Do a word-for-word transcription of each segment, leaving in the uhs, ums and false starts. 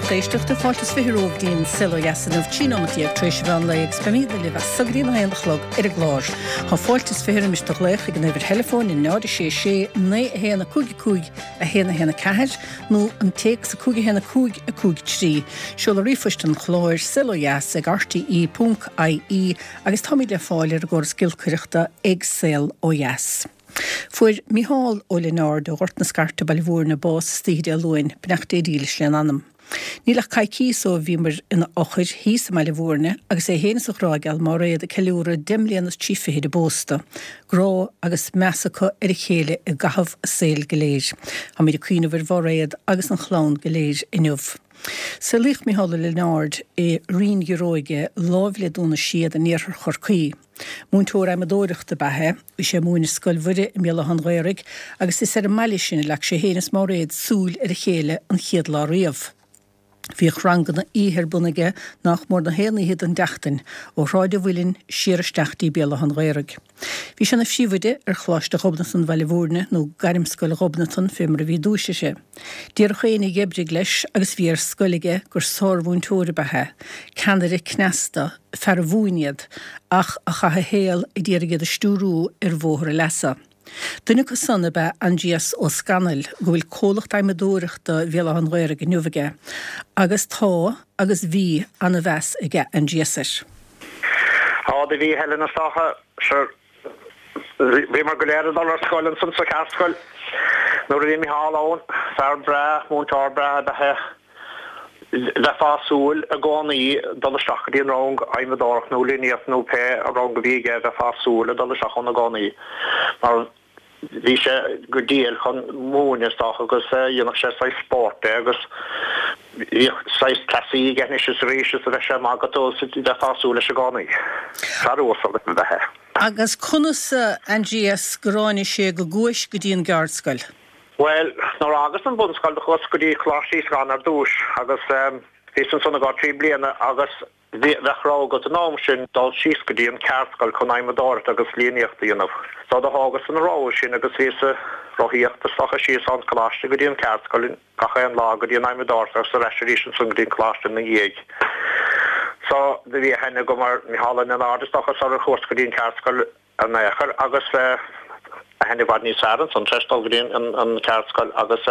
Lucht éisteachta fáilte is fiche romhaibh go dtí an Saol Ó Dheas inniu trí nóiméad déag tar éis an mheán lae agus beimid libh as seo go dtí a haon a chlog ar an gclár. Tá fáilte is fiche roimis do ghlaoch ag an uimhir theileafóin in náid sé sé naoi a haon a cúig a cúig a haon a haon a ceathair nó an téacs a cúig a haon a cúig a cúig trí. Seoladh ríomhphoist an chláir saol ó dheas ag RTE ponc IE agus táimid le fáil ar an gcóras giolcaireachta ag Saol Ó Dheas. Fuair Micheál Ó Lionáird ó Ghort na Scairte Baile Bhúirne bás istoíche Dé Luain, beannacht Dé dhílis lena anam. Níl ach coicís ó bhíomar ina fhochair thíos i mBaile Bhúirne agus é féin is a ghrá geal Máiréad ag ceiliúradh deich mbliana is trí fichid a bpósta, grá agus meas acu ar a chéile i gcaitheamh a saoil go léir. Táimid ag cuimhneamh ar Mháiréad agus an chlann go léir inniu. Saolaíodh Micheál Ó Lionáird i Rinn Ghiobróige láimh le Dún na Séad in iarthar Chorcaí. Múinteoir adhmadóireachta ba ea é, bhí sé ag múineadh Scoil Mhuire i mBéal Átha an Ghaorthaidh agus is ar an mbaile sin a leag sé féin is Máiréad súil ar a chéile an chéad lá riamh. Bhíodh ranganna oíche ar bun aige nach mór na haon oíche den tseachtain, ó Shráid an Mhuilinn siar isteach dtí Béal Átha an Ghaorthaidh. Bhí sé ina phríomhoide ar Choláiste Ghobnatan Bhaile Bhúirne, nó Gairmscoil Ghobnatan fé mar a bhí i dtús uirthi. Déarfadh éinne a d'oibrigh leis agus a bhí ar scoil aige gur sármhúinteoir ab ea é, ceannaire cneasta, fear a mhúin iad, ach a chaith a shaol ag iarraidh iad a stiúrú ar bhóthar a leasa. Duine acu san ab ea Aindrias Ó Scanaill, go bhfuil comhlacht adhmadóireachta Bhéal Átha an Ghaorthaidh inniu aige, agus tá, agus bhí, ana-mheas aige Aindrias air. Á, do bhí Helen is dócha, sure, bhíomar go léir ag dul ar scoil ansan sa cheardscoil nuair a bhí Micheál ann, fear breá, múinteoir breá ab ea é. Bheifeá ag súil i gcónaí dul isteach go dtí an rang adhmadóireacht nó líníocht nó pé rang a bhí aige, bheifeá ag súil ag dul isteach ann i gcónaí mar bhí sé go diail chun múineadh is dócha agus dhéanadh sé saghas spórt de agus bhíodh saghas cleasaí aige anois is arís is a bheadh sé ag magadh tú is bheifeá ag súil leis i gcónaí. Fear uasal ab ea é. Agus conas, a Aindrias, gur tháinig sé go gcuais go dtí an gceardscoil? Bhuel, nuair a fhágas an bhunscoil do chuas go dtí Coláiste Íosagáin ar dtúis agus bhíos ansan i gcomhair trí bliana agus bhí, bheadh rogha agat an am sin dul síos go dtí an ceardscoil chun adhmadóireacht agus líníocht a dhéanamh. So do thógas an rogha sin agus bhíos ag rothaíocht is dócha síos ón choláiste go dtí an ceardscoil gach aon lá go dtí an adhmadóireacht agus ar ais arís ansan go dtí an coláiste ina dhiaidh. So do bhí aithne agam ar Micheál Ó Lionáird is dócha sular chuas go dtí an ceardscoil. in aon chor agus aithne i bhfad níos fearr ansan tar éis dul go dtí an ceardscoil agus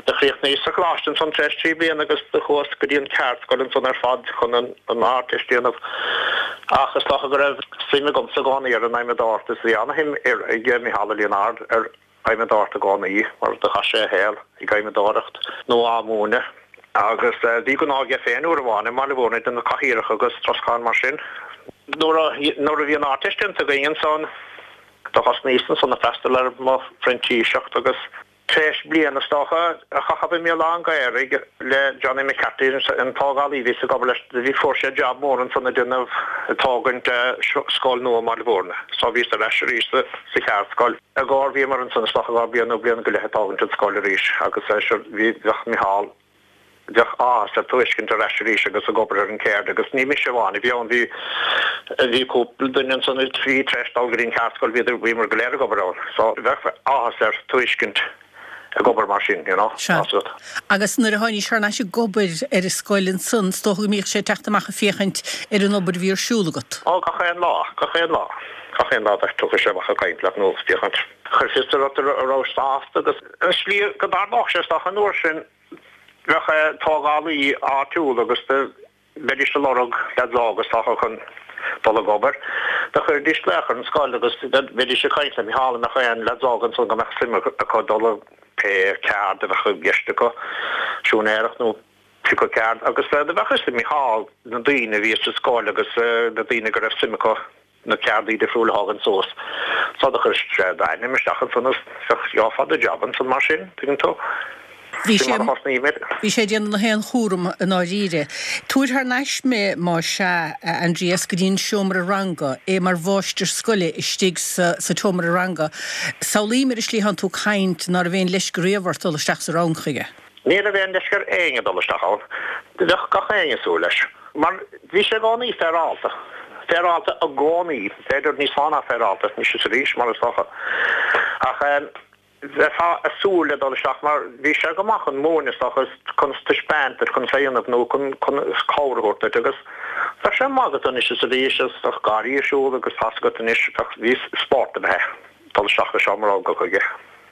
do chríochnaíos sa choláiste ansan tar éis trí bliana agus do chuas go dtí an ceardscoil ansan ar fad chun an Ardteist a dhéanamh ach is dócha go raibh suim agamsa i gcónaí ar an adhmadóireacht is bhí ana-shuim ag Micheál Ó Lionáird ar adhmadóireacht i gcónaí mar do chaith sé a shaol ag adhmadóireacht nó á múineadh agus bhí gnó aige féin uair amháin i mBaile Bhúirne ag déanamh cathaoireacha agus troscán mar sin. Nuair a nuair a bhí an Ardteist déanta againn ansan do thosnaíos ansan ag freastal ar mo phrintíseacht agus tar éis bliain is dócha a chaitheamh i mBéal Átha an Ghaorthaidh le Johnny McCarthy an tógálaí a bhíos ag obair leis bhí fuair sé jab mór ansan ag déanamh ag tógaint scoil nua i mBaile Bhúirne so bhíos ar ais arís sa cheardscoil. I gcomhair bhíomar ansan is dócha i gcomhair bliain nó bliain go leith ag tógaint an scoil arís agus sure bhí bheadh Micheál bheadh áthas air tú a fheiscint ar ais arís agus ag obair ar an gceird agus ní mise amháin a bhí ann, bhí, bhí cúpla duine ansan a bhí tar éis dul go dtí an cheardscoil, bhíodar, bhíomar go léir ag obair ann so bheadh áthas air tú a fheiscint ag obair mar sin, you know, Sea. tá 's agat. Agus nuair a tháinís thar n-ais ag obair ar an scoil ansan, is dócha go mbíodh sé ag teacht amach ag féachaint ar an obair a bhí ar siúl agat? Ó, gach aon lá, gach aon lá, gach aon lá thiocfadh sé amach ag caint leat nó ag féachaint. Chuir fios ort an rabhais sásta agus an slí go dtarlódh sé is dócha an uair sin, Bheadh tógálaí áitiúil agus do bheidís ag lorg leaids óga is dócha chun dul ag obair. Do chuiridís glaoch ar an scoil agus bheidís ag caint le Micheál an mbeadh aon leaids óga ansan go mbeadh suim acu dul ag pé ceard a bheadh i gceist acu, siúinéireacht nó pé ceard agus do bheadh fhios ag Micheál na daoine a bhí sa scoil agus na daoine go raibh suim acu na ceardaí difriúla a thagann suas. So do chuir sé d'ainm isteach ansan is gheofá do jab ansan mar sin, tuigeann tú. Bhí Sin sé mar a thosnaíomar. Bhí sé ag déanamh na haon chúram i ndáiríre. Tabhair thar n-ais mé, má sea, a Aindrias, go dtí an seomra ranga, é mar mháistir scoile istigh sa sa tseomra ranga. Samhlaím ar an slí atánn tú ag caint ná raibh aon leisce riamh ort dul isteach sa rang chuige. Ní raibh aon leisce ar éinne dul isteach ann. Bheadh gach éinne ag súil leis. Mar bhí sé i gcónaí féaráilte. Féaráilte i gcónaí. B'fhéidir níos mó ná féaráilte anois is arís, mar is dócha. Ach bheifeá ag súil le dul isteach mar bhí sé go maith chun múineadh is dócha chun taispeáint duit chun déanamh nó chun chun cabhair a thabhairt duit agus bheadh sé maith agat anois is arís is bheadh gáirí ar siúl agus tá's agat anois bheadh bhí spórt a bheith dul isteach i seomra ranga chuige.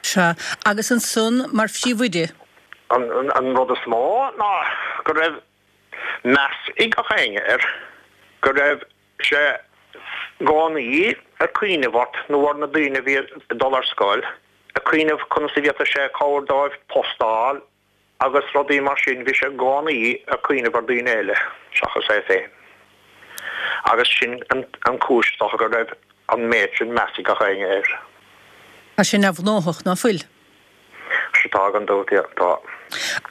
Sea, agus ansan mar phríomhoide? An an rud is mó ná go raibh meas ag gach éinne air, go raibh sé i gcónaí ag cuimhneamh ort nó ar na daoine a bhí ag dul ar scoil, ag cuimhneamh conas a bhféadfadh sé cabhair dóibh post a fháil agus rudaí mar sin, bhí sé i gcónaí ag cuimhneamh ar daoine eile seachas é féin. Agus sin an chúis is dócha go raibh an méid sin meas ag gach éinne air. Tá sé neamhghnóthach, ná fuil? Sea, tá gan dabht, yeah, tá.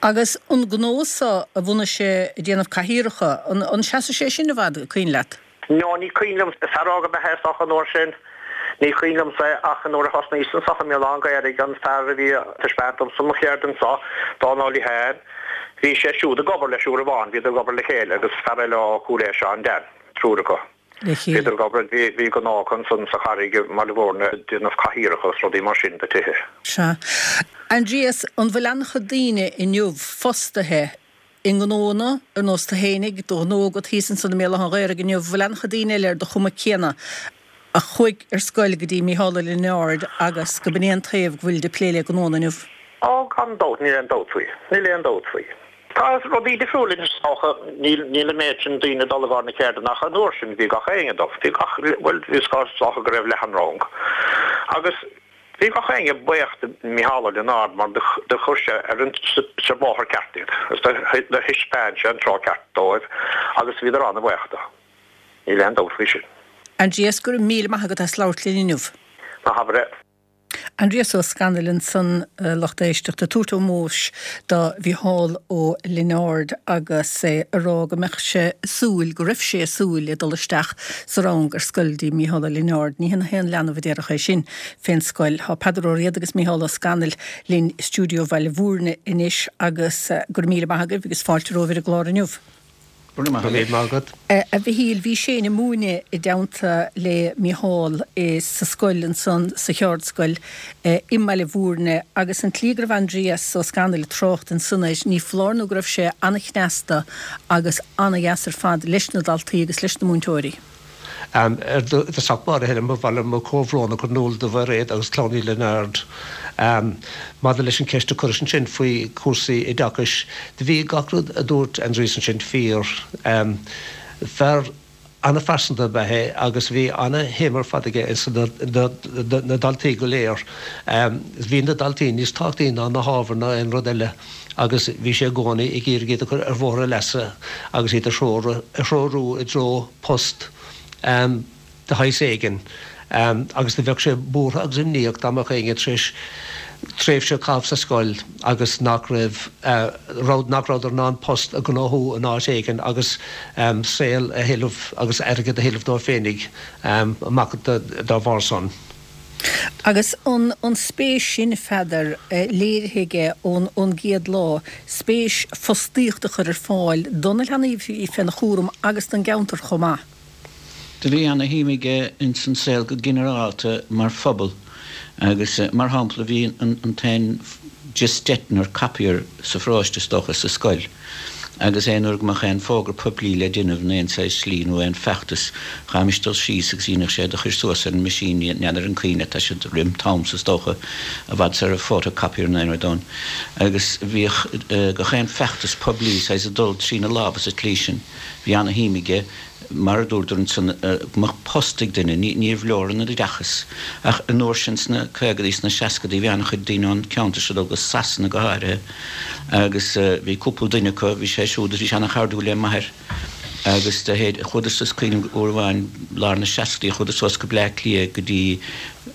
Agus an gnó so a bhunaigh sé ag déanamh cathaoireacha, an seasfaidh sé sin i bhfad, cuimhin leat? No, ní cuimhin liom, fear óg ab ea é is dócha an uair sin. Ní cuimhin liomsa é ach nuair a thosnaíos anso i mBéal Átha an Ghaorthaidh, an fear a bhí ag taispeáint domsa mo cheird anso, Dónal Ó Liatháin, bhí sé siúd ag obair leis uair amháin, bhíodar ag obair le chéile agus fear eile ó Chúil Aodha, Seán Dan, triúr acu. Le chéile. Bhíodar ag obair, bhí, bhí gnó acu ansan sa Charraig i mBaile Bhúirne ag déanamh cathaoireacha agus rudaí mar sin do tithe. Sea. Aindrias, an bhfuil an-chuid daoine inniu fostaithe i ngnóanna ar nós tú fhéinig, do ghnó agat thíos ansan i mBéal Átha an Ghaorthaidh inniu, bhfuil an-chuid daoine eile ar do chuma céanna a chuaigh ar scoil go dtí Mícheál Ó Lionáird agus go b'in é an taobh go bhfuilid ag plé le gnóanna inniu? Ó, gan dabht, níl aon dabht faoi. Níl aon dabht faoi. Tá rudaí difriúil anois is dócha, níl, níl an méid sin daoine ag dul i gcomhair na ceirdeanna ach an uair sin bhí gach éinne ag dul, bhí gach, bhuel, is dócha go raibh leath an rang agus bhí gach éinne buíoch de Mhícheál Ó Lionáird mar do, do chuir sé ar an, sa bhóthar ceart iad agus do, do thaispeáin sé an treo ceart dóibh agus bhíodar an-bhuíoch de. Níl aon dabht faoi sin. Aindrias, go raibh míle maith agat as labhairt linn inniu. Ná habair é. Aindrias Ó Scanaill ansan, a lucht éisteachta, ag tabhairt ómóis do Mhícheál Ó Lionáird agus é ag rá go mbeadh sé ag súil, go raibh sé ag súil le dul isteach sa rang ar scoil dtí Mícheál Ó Lionáird. Ní hé na haon leanbh a déarfadh é sin fén scoil. Tá Peadar Ó Riada agus Mícheál Ó Scanaill linn i stiúideo Bhaile Bhúirne anois agus go raibh míle maith agaibh agus fáilte romhaibh ar an gclár inniu. Go raibh míle maith agat. A Mhichíl, bhí Shane ag múineadh i dteannta le Mícheál sa scoil ansan, sa cheardscoil i mBaile Bhúirne agus an tslí go raibh Aindrias Ó Scanaill ag trácht ansan air, ní foláir nó go raibh sé an-chneasta agus an-dheas ar fad leis na daltaí agus leis na múinteoirí. I dtosach báire, Helen, ba mhaith liom mo chomhbhrón a chur in iúl do Mhairéad agus clann Uí Lionáird. Maidir leis an cheist a cuiris ansin faoi chúrsaí oideachais, do bhí gach rud a dúirt Aindrias ansin fíor. Fear an-phearsanta ab ea é agus bhí ana-shuim ar fad aige ins na daltaí go léir. Bhí na daltaí níos tábhachtaí ná na hábhair ná aon rud eile agus bhí sé i gcónaí ag iarraidh iad a chur ar bhóthar a leasa agus iad a threorú i dtreo post. de shaghas éigin, agus do bheadh sé buartha agus imníoch dá mbeadh éinne tar éis tréimhse a chaitheamh sa scoil agus nach raibh, nach rabhadar in ann post a ghnóthú in áit éigin agus saol a thuilleamh agus airgead a thuilleamh dóibh féinig amach dá bharr san. Agus an an spéis sin, a Pheadair, léirithe aige ón ón gcéad lá, spéis fostaíocht a chur ar fáil do na leanaí a bhí féna chúram agus don gceantar chomh maith. Do bhí ana shuim aige ins an saol go ginearálta mar phobal agus mar shampla bhí an t-aon Gestetner copier sa pharóiste is dócha sa scoil agus aon uair go mbeadh aon fógra poiblí le déanamh in aon saghas slí nó aon feachtas chaithfimis dul síos agus dhéanfadh sé iad a chur suas ar an machine n'fheadar an cuimhin leat tá siad roim t'amsa is dócha i bhfad sara raibh photocopier nó aon rud ann agus bhíodh gach aon feachtas poiblí saghas ag dul trína lámha sa tslí sin bhí ana shuim aige Mar a dúradar ansan, go mbeadh post ag duine, níorbh leor an oideachas. Ach an uair sin sna caogadaí, sna seascadaí, bhí an-chuid daoine ón ceantar seo ag dul go Sasana go háirithe agus bhí cúpla duine acu, bhí sé siúd, bhí sé ana-chairdiúil le m'athair agus do théid, chuadar suas, cuimhním uair amháin, lár na seascadaí, chuadar suas go Bleá Cliath go dtí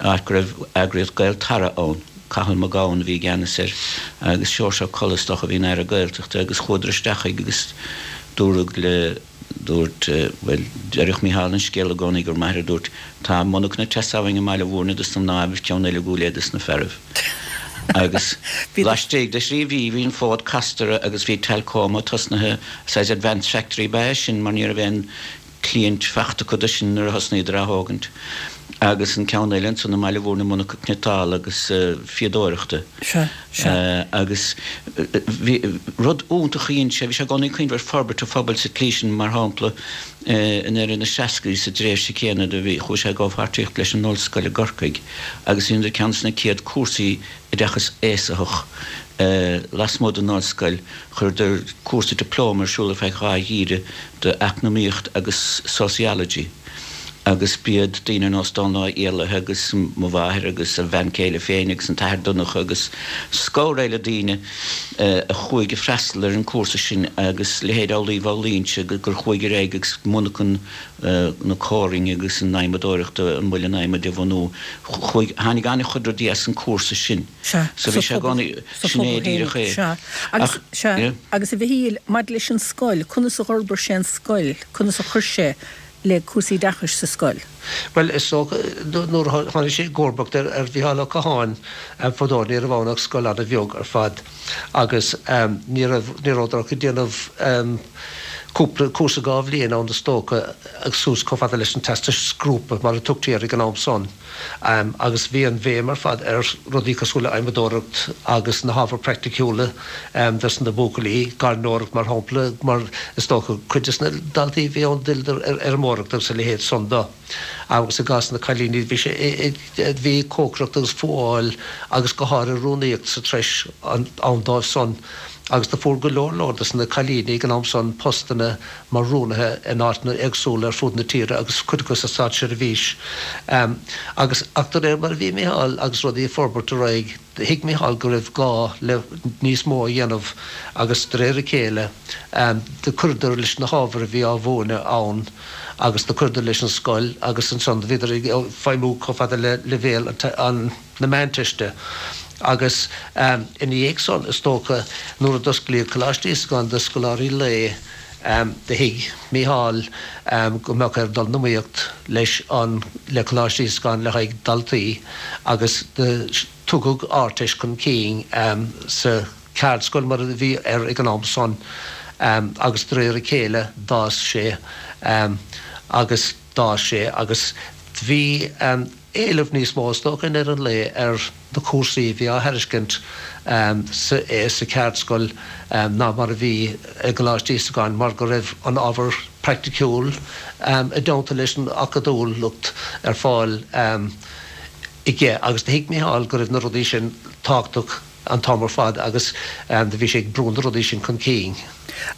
áit go raibh eagraíocht Gaeltarra ann, Cathal Mac Gabhann a bhí i gceannas air agus Seoirse Ó Colla is dócha a bhí ina Aire Gaeltachta agus chuadar isteach chuige agus dúradh le Dúirt, bhuel, deireadh Mícheál an scéal i gcónaí gur m'athair a dúirt, tá monarchana ag teastáil uainn i mBaile Bhúirne dos na mnáibh is ceann eile i gCúil Aodha dos na fearaibh. Agus laistigh de thrí mhí bhí an fód casta orthu agus bhí Telcoma tosnaithe, saghas advance factory ba ea sin mar ní raibh aon cliaint fachta acu de sin nuair a thosnaíodar á thógaint. Agus an ceann eile ansan i mBaile Mhúirne monarcha cniotála agus fíodóireachta. Sea, sea. Agus bhí rud iontach a dhein sé, bhí sé i gcónaí ag cuimhneamh ar forbairt an phobail sa tslí sin, mar shampla i ndeireadh na seascaidí sa dtréimhse céanna do bhí, chuaigh sé i gcomhpháirtíocht leis an ollscoil i gCorcaigh agus dheineadar ceann de na céad cúrsaí oideachas aosaitheach lasmuigh den ollscoil, chuireadar cúrsa dioplóma ar siúl ar feadh dhá gheimhreadh d'eacnamaíocht agus sociology agus b'iad daoine ar nós Dónal Ó Éalaithe agus mo mháthair agus a bhean chéile féin agus an tAthair Donncha agus scór eile daoine a chuaigh ag freastal ar an cúrsa sin agus leithéid Amhlaoibh Ó Loingsigh gur chuaigh ar aghaidh agus monarchan na comhroinne agus an adhmadóireachta, an muileann adhmaid a bhunú. Chuaigh, tháinig an-chuid rudaí as an cúrsa sin. Sea, So sa bhí sé i phobal, gcónaí, sa sin phobal é díreach féinig, é. sea. Agus, Ach, sea, yeah. agus a Mhichíl, maidir leis an scoil, conas a dh'fhorbair sé an scoil, conas a chuir sé le cúrsaí oideachais sa scoil? Bhuel, is dócha, nuair a tháinig sé i gcomharbacht ar Mhícheál Ó Catháin fadó, ní raibh ann ach scoil an-bheag ar fad agus ní raibh, ní rabhadar ach ag déanamh cúpla cúrsa dhá bhliain ann is dócha agus suas chomh fada leis an Teastas Grúpa mar a tugtaí air ag an am san. Agus bhí an bhéim ar fad ar rudaí cosúil le adhmadóireacht agus na hábhair praiticiúla dos na buachaillí, gairneoireacht mar shampla, mar is dócha cuid des na daltaí a bhí ann d'fhilleadar ar fheirmeoireacht agus a leithéid san do. Agus i gcás na cailíní bhí sé bhí cócaireacht agus fuáil agus go háirithe rúnaíocht sa treis ann dóibh san. Agus do fuair go leor leor des na cailíní ag an am san postanna mar rúnaithe in áiteanna éagsúla ar fud na tíre agus cuid acu sa státseirbhís. Agus, ach de réir mar a bhí Micheál agus rudaí ag forbairt ar aghaidh, thuig Micheál go raibh gá le níos mó a dhéanamh agus de réir a chéile do chuireadar leis na hábhair a bhí á mhúineadh ann agus do chuireadar leis an scoil agus ansan do bhíodar ag feidhmiú chomh fada le leibhéal an na Meánteiste. Agus ina dhiaidh san, is dócha, nuair a d'osclaíodh Coláiste Íosagáin do scoláirí lae, do thuig Mícheál go mbeadh air dul in iomaíocht leis an, le Coláiste Íosagáin le haghaidh daltaí agus do tugadh Ardteist chun cinn sa cheardscoil mar a bhí air ag an am san agus de réir a chéile d'fhás sé agus d'fhás sé agus bhí éileamh níos mó, is dócha, i ndeireadh an lae ar na cúrsaí a bhí á thairiscint sa cheardscoil ná mar a bhí i gColáiste Íosagáin mar go raibh an ábhar praiticiúil i dteannta leis an acadúlacht ar fáil aige agus do thuig Mícheál go raibh na rudaí sin tábhachtach an t-am ar fad agus do bhí sé ag brú na rudaí sin chun cinn.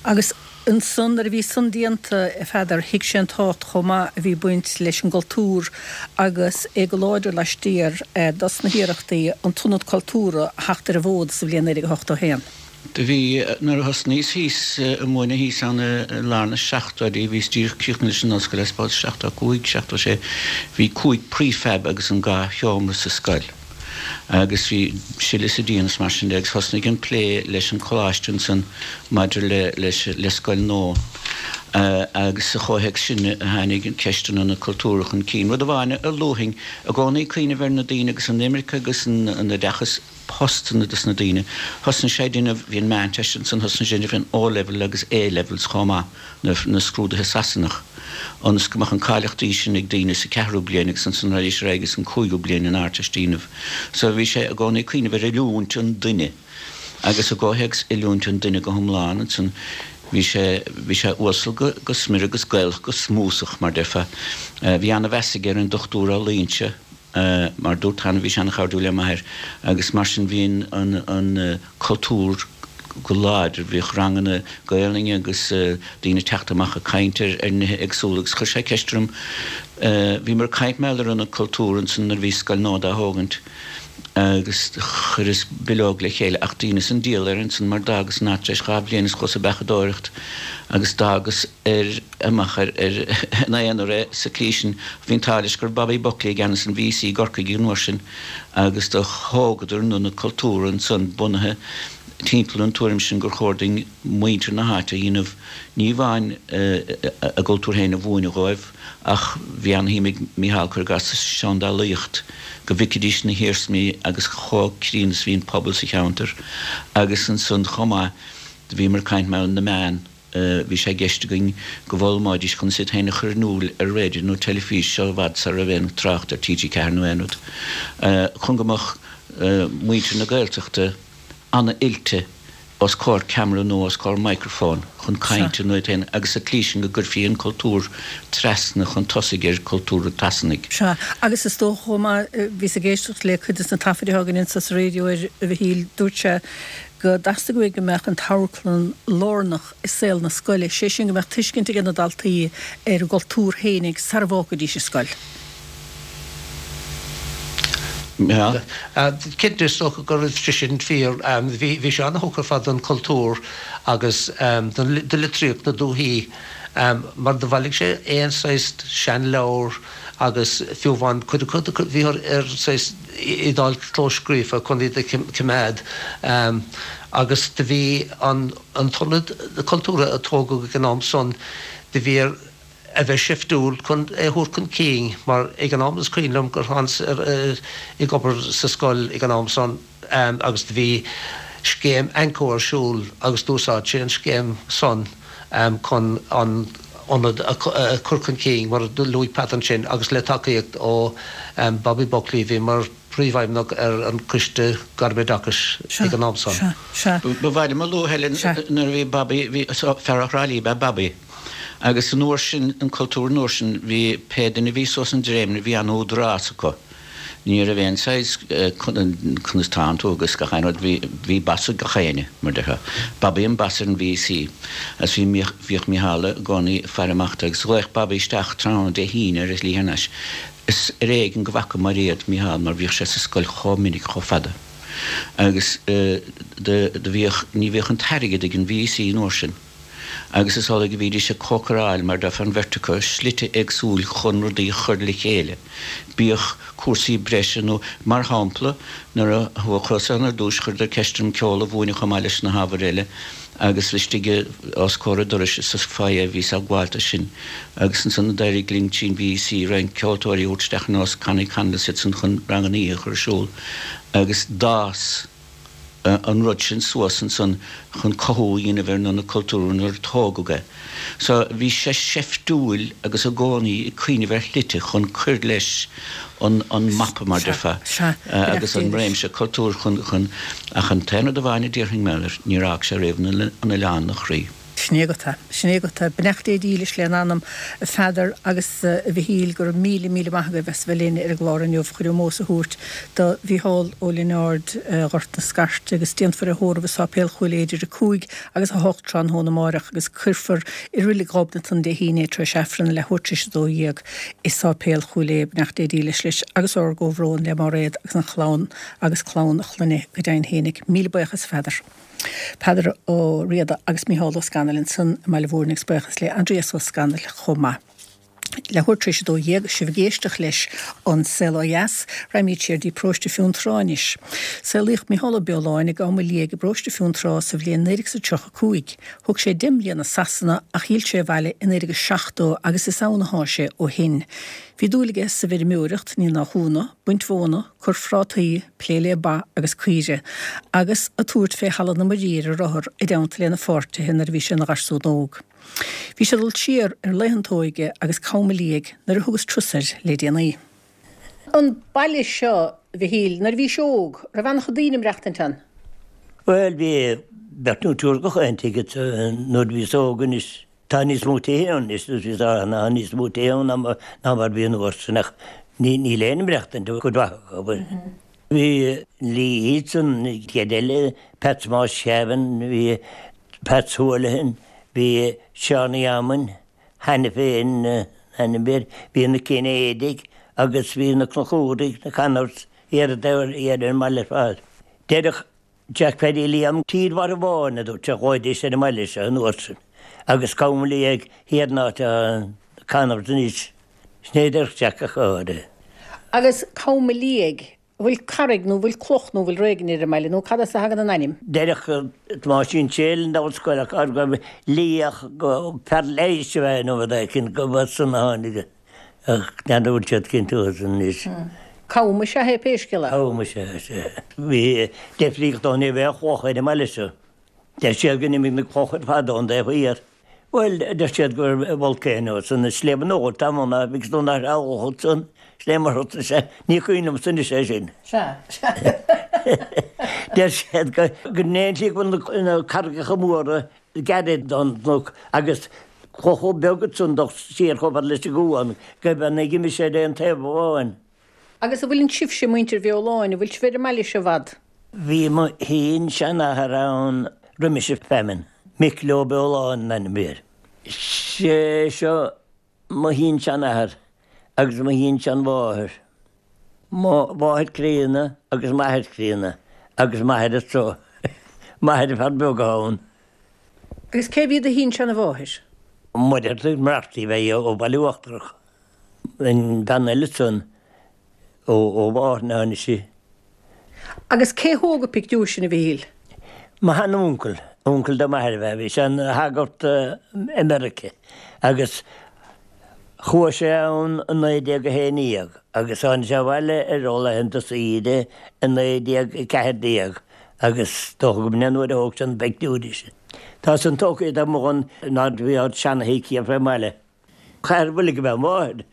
Agus ansan nuair a bhí san déanta, a Pheadair, thuig sé an tábhacht chomh maith a bhí ag baint leis an gcultúr agus é go láidir laistiar dos na hiarrachtaí an tIonad Cultúrtha a theacht ar an bhfód sa bhliain naoi déag ochtó a haon. Do bhí, nuair a thosnaíos thíos ag múineadh thíos ann i lár na seachtóidí, bhíos díreach críochnaithe leis an ollscoil, I suppose, seachtó cúig, seachtó sé, bhí cúig prefab agus an dhá sheomra sa scoil. Agus bhí sile sa díon is mar sin de agus thosnaigh an plé leis an choláiste ansan maidir le leis le scoil nua. Agus sa chomhthéacs sin a tháinig an ceist an Ionad Cultúrtha chun cinn. Rud amháin a luafainn i gcónaí cuimhneamh ar na daoine agus an imirce agus an an oideachas postanna dos na daoine. Thosnaigh sé ag déanamh, bhí an Meánteist ansan, thosnaigh sé ag déanamh an O-Level agus A-Levels chomh maith, na na scrúduithe Sasanach. ionas go mbeadh an cáilíochtaí sin ag daoine sa ceathrú bliain agus ansan raghaidís ar aghaidh ins an cúigiú bliain an Ardteist a dhéanamh. So bhí sé i gcónaí ag cuimhneamh ar oiliúint an duine agus i gcomhthéacs oiliúint an duine go hiomlán ansan bhí sé, bhí sé uasal go, go smior agus Gaelach go smúsach mar déarfá. Bhí ana-mheas aige ar an Dochtúir Ó Loingsigh mar dúrt cheana bhí sé ana-chairdiúil le m'athair agus mar sin bhí an, an cultúr, go láidir. Bhíodh ranganna Gaelainne agus daoine ag teacht amach ag caint ar nithe éagsúla agus chuir sé ceist orm, bhíomar ag caint mar gheall ar Ionad Cultúrtha ansan nuair a bhí scoil nua dá thógaint agus chuireas bileog le chéile ach dheineas an diabhal air ansan mar d'fhágas an áit tar éis dhá bhliain is chuas ag beachadóireacht agus d'fhágas ar amach ar ar ina aonar é sa tslí sin. Bhí an t-ádh leis go raibh Bobby Buckley i gceannas an VC i gCorcaigh an uair sin agus do thógadar an Ionad Cultúrtha ansan bunaithe timpeall an tuairim sin gur chóir dúinn muintir na háite a dhéanamh, ní amháin a gcultúr féin a mhúineadh dhóibh, ach bhí ana-shuim ag Mícheál, cuir i gcás, sa seandálaíocht, go bhficfidís na hiarsmaí agus chomh críonna is a bhí an pobal sa cheantar. Agus ansan chomh maith, do bhíomar ag caint mar na meáin. Bhí sé i gceist againn go bhfoghlaimeoidís conas iad féin a chur in iúl ar raidió nó teilifís, seo i bhfad sara raibh aon trácht ar T G ceathair nó aon rud, chun go mbeadh muintir na Gaeltachta an-oilte os comhair ceamara nó os comhair microphone chun cainte nó iad féin agus sa tslí sin go gcuirfí an cultúr trasna chun tosaigh ar chultúr an tSasanaigh. Sea, agus is dócha chomh maith, bhíos ag éisteacht le cuid de na taifid atá againn anso sa raidió ar Mhichíl, dúirt sé go dteastaigh uaidh go mbeadh an t-amharclann lárnach i saol na scoile, sé sin go mbeadh tuiscint ag na daltaí ar a gcultúr fhéinig sara bhfágfaidís an scoil. Cinnte, is dócha go raibh sé sin fíor. Bhí sé an-thugtha ar fad don chultúr agus do litríocht na dúichí mar do bhailigh sé aon saghas seanleabhar agus fiú amháin cuid acu bhí ar saghas iad a fháil clóscríofa chun iad a choimeád agus do bhí an t-ionad cultúrtha a tógadh ag an am san do bhí air a bheith seiftiúil chun é a thabhairt chun cinn mar ag an am is cuimhin liom gur thánas ag obair sa scoil ag an am san agus do bhí scéim AnCO ar siúl agus d'úsáid sé an scéim san chun an ionad a chur chun cinn, mar a luaigh Pat ansin, agus le tacaíocht ó Bobby Buckley, a bhí mar phríomhfheidhmeannach ar an Choiste Gairmoideachais ag an am san. Ba mhaith liom a lua, Helen, nuair a bhí Bobby, bhí fear ó Thrá Lí ab ea Bobby, agus an uair sin, an cultúr an uair sin, bhí pé duine a bhí suas an dréimire, bhí an-údarás acu. Ní raibh aon saghas conas tánn tú agus gach aon rud, bhí bhí boss ag gach éinne, mar déarfá. Bobby an boss ar an V E C agus bhí bhíodh Micheál i gcónaí ag faire amach dó agus ghlaodh Bobby isteach tráthnóna Dé hAoine ar a shlí thar n-ais. Is ar éigean go bhfaca Mairéad Micheál mar bhíodh sé sa scoil chomh minic chomh fada agus do do bhíodh ní bhíodh an t-airgead ag an V E C an uair sin. Agus is amhlaidh a bhídís ag cócaráil, mar déarfá, an bheirt acu, slite éagsúil chun rudaí a chur le chéile, bíodh cúrsaí breise nó, mar shampla, nuair a chuas ann ar dtús, chuireadar ceist orm ceol a mhúineadh chomh maith leis na hábhair eile agus istigh os comhair an dorais sa foyer a bhíos ag gabháilt dó sin. Agus ansan d'éirigh linn trín V E C roinnt ceoltóirí a thabhairt isteach ar nós Connie Connell is iad san chun ranganna oíche a chur ar siúl agus d'fhás an rud sin suas ansan chun cothú a dhéanamh ar an ionad cultúrtha nuair a tógadh é. So bhí sé seiftiúil agus i gcónaí ag cuimhneamh ar shlite chun cur leis an an mapa mar déarfá agus an réimse cultúir chun chun ach an t-aon rud amháin a déarfainn mé leis níor fhág sé riamh an oileán ina chroí. Sin é agat é. Sin é agat é. Beannacht Dé dílis lena anam, a Pheadair agus a Mhichíl, go raibh míle, míle maith agaibh as bheith linn ar an gclár inniu chun ómós a thabhairt do Mhícheál Ó Lionáird, Ghort na Scairte agus déanfar é a thórramh i Sáipéal Chúil Aodha idir a cúig agus a hocht tráthnóna amáireach agus cuirfear i Reilig Ghobnatan Dé hAoine é tar éis Aifreann a leathuair tar éis a dó dhéag i Sáipéal Chúil Aodha. Beannacht Dé dílis leis agus ár gcomhbhrón le Máiréad agus an chlann agus clann a chlainne go deimhin fhéinig. Míle buíochas a Pheadair. Peadar Ó Riada agus Mícheál Ó Scanaill ansan i mBaile Mhúirne agus buíochas le Aindrias Ó Scanaill chomh maith. Leathuair tar éis a dó dhéag, sibh ag éisteacht leis An Saol Ó Dheas, raghaimid siar dtí Paróiste Fionntrá anois. Saolaíodh Mícheál Ó Beoláin i gCam a Liag i bParóiste Fionntrá sa bhliain naoi déag is a tríocha cúig. Thug sé deich mbliana i Sasana ach d'fhill sé abhaile i naoi déag is seachtó agus is ann athá sé ó shin. Bhí dúil aige sa bhfeirmeoireacht, ní nach ionadh, baint mhóna, cur phrátaí, plé le ba agus caoire, agus a tabhairt fé thalamh na Muirí ar a rothar i dteannta lena pháirtithe nuair a bhí sé ina gharsún óg. Bhí sé ag dul siar ar laethanta a óige agus Cam a Liag nuair a thugas turas air le déanaí. An baile seo, a Mhichíl, nuair a bhís óg, raibh an-chuid daoine ag maireachtaint ann? Bhuel, bhí beirt nó triúr gach aon tigh nuair a bhíos óg anois. Tá níos mó tithe ann anois tá níos mó tithe ann ná mar a bhí an uair sin ach níl éinne ag maireachtaint i gcuid mhaith acu. Bhí Lee Yeats an chéad eile, Pat Thomáis Sheáin, bhí Pat Houlihan, bhí Seánie Eamoinn, cheana féin ainm air, bhí na Cinnéidigh agus bhí na Conchúraigh, na Connors, thiar ar an mbaile ar fad. Deireadh Jack Phaddy Liam, Tír Mharbháin, a dúirt sé, ghlaoidís ar an mbaile seo an uair sin, agus Cam a Liag thiar an áit atá na Connors anois. Sin é a deir Jack a chara. Agus Cam a Liag, an bhfuil carraig nó an bhfuil cloch nó an bhfuil rud éigin ar an mbaile nó cad as a thagann an ainm? Deireadh Tomáisín Séil an ollscoil ach go raibh liach go fear leighis a bheith nó rud éicint go bhfuil san a tháinig Ach n'fheadar an bhfuil siad cinnte uathu anois. Cam is ea é pé scéal é. Cam is ea, is ea. Bhí deifríocht ann, ní raibh aon chloch ar an mbaile seo. Deir siad go n-imigh na clocha ar fad ón dtaobh thiar. Bhuel, deir siad gur volcano san Sliabh an Óir tá ann agus nó nach raibh san sléibh mar sé ní cuimhin liomsa anois é sin. Sea, sea. Deir siad go go ndéanfaidh go bhfuil na carraigeacha móra gairid don gcnoc agus chomh beag san dul siar chomh fada leis an gcuan go mbeidh ag imigh sé ar aon taobh amháin. Agus an bhfuil sibhse muintir Bheoláin, an bhfuil sibh ar an mbaile seo i bhfad? Bhí mo shin-seanathair ann roimis an feamainn, Micil Ó Beoláin an ainm a bhí air. Sé seo mo shin-seanathair agus mo shin-seanmháthair. Mo mháthair críonna agus m'athair críonna agus m'athair anseo. M'athair fear beag ann. Agus cé bhí do shin-seanmháthair? Muireartach Murphy a bhí ó Bhaile Uachtarach. An bhean eile san ó ó Mhárthain a tháinig sí. Agus cé thóg an pictiúr sin a Mhichíl? Mo shean-uncail, uncail do m'athair a bhí, bhí sé ina shagart i Meiriceá agus chuaigh sé ann i naoi déag a haon déag agus tháinig sé abhaile ar laethanta saoire i naoi déag a ceathair déag agus dócha go b'in an uair a thóg sé na pictiúirí sin. Tá san tógtha iad amuigh ann nuair a bhí ár seana-thigh thiar fén mbaile. Chathair Bhoilg ab ea máthair,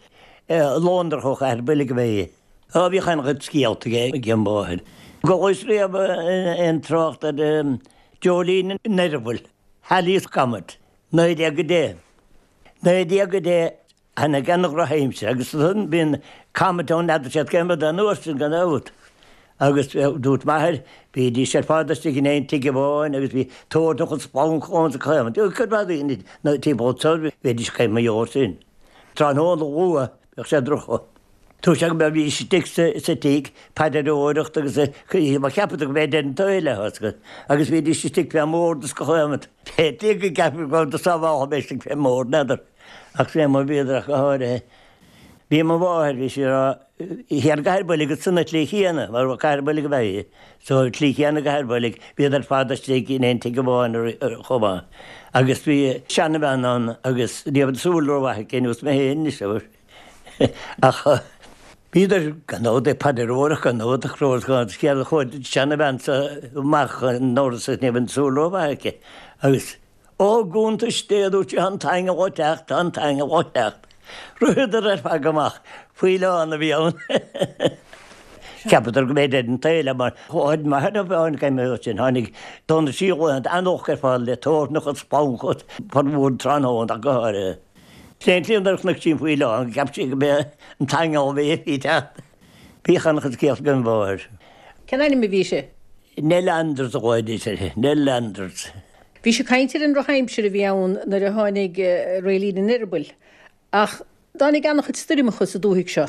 Lóndrach ó Chathair Bhoilg ab ea í. Á bhíodh an-chuid scéalta ag an mháthair. Chualaís riamh aon trácht ar Dreoilín an Eireabaill, Halley's Comet, naoi déag a deich. Naoi déag a deich tháinig an-dhrochaimsir agus ansan bíonn comet ann n'fheadar siad cén rud é an uair sin gan dabht. Agus dúirt m'athair, bhídís ar fad istigh in aon tigh amháin agus bhí tórramh agus splancadh ann sa choimhlint. Cuid mhaith daoine na timpeall anso bhídís ag caint mar gheall air sin. Tráthnóna luath bheadh sé droch. Dúirt sé go mbeadh bhí istigh sa tigh paidreoireacht agus mar cheapadar go mbeadh deireadh an tsaoil le thosca agus bhídís istigh fén mbord is go chaomhant. B'fhéidir go gceapfaí go raibh do sábháladh bheith istigh fén mbord, n'fheadar. Ach sin é mar bhíodar ach go háirithe. Bhí mo mháthair, bhí sí ag rá, thiar i gCathair Bhoilg san tslí chéanna, mar Cathair Bhoilg ab ea í, so tslí chéanna i gCathair Bhoilg, bhíodar ar fad istigh in aon tigh amháin chomh maith. Agus bhí seanabhean ann agus ní raibh an tsúil rómhaith aici, nós mé féin anois, abair. Ach bhíodar gan dabht ag paidreoireacht gan dabht ach raibh céard a chuaigh an seanabhean seo amach an doras agus ní raibh an tsúil rómhaith aici agus Ó, a gcuntais Dé, a dúirt sí, tá an t-aingeal ag teacht, tá an t-aingeal ag teacht. Ritheadar ar fad amach, faoileán a bhí ann. Cheapadar go mb'é deireadh an tsaoil é mar chuaigh m'athair a bhean céim sin, tháinig dona sí laethanta an-olc ar fad le toirneach agus splancadh formhór tráthnóna ach go háirithe. Sin é an tslí nuair a chonaic sí an faoileán, cheap sí go mb'é an t-aingeal a bhí ag teacht. Bhíodh an-chuid scéalta ag an mháthair. Cén ainm a bhí sí? Nell Anders a ghlaoidís uirthi, Nell Anders. Bhí sí ag caint ar an ndrochaimsir a bhí ann nuair a tháinig Dreoilín an Eireabaill, ach tháinig an-chuid stoirmeacha sa dúthaigh seo.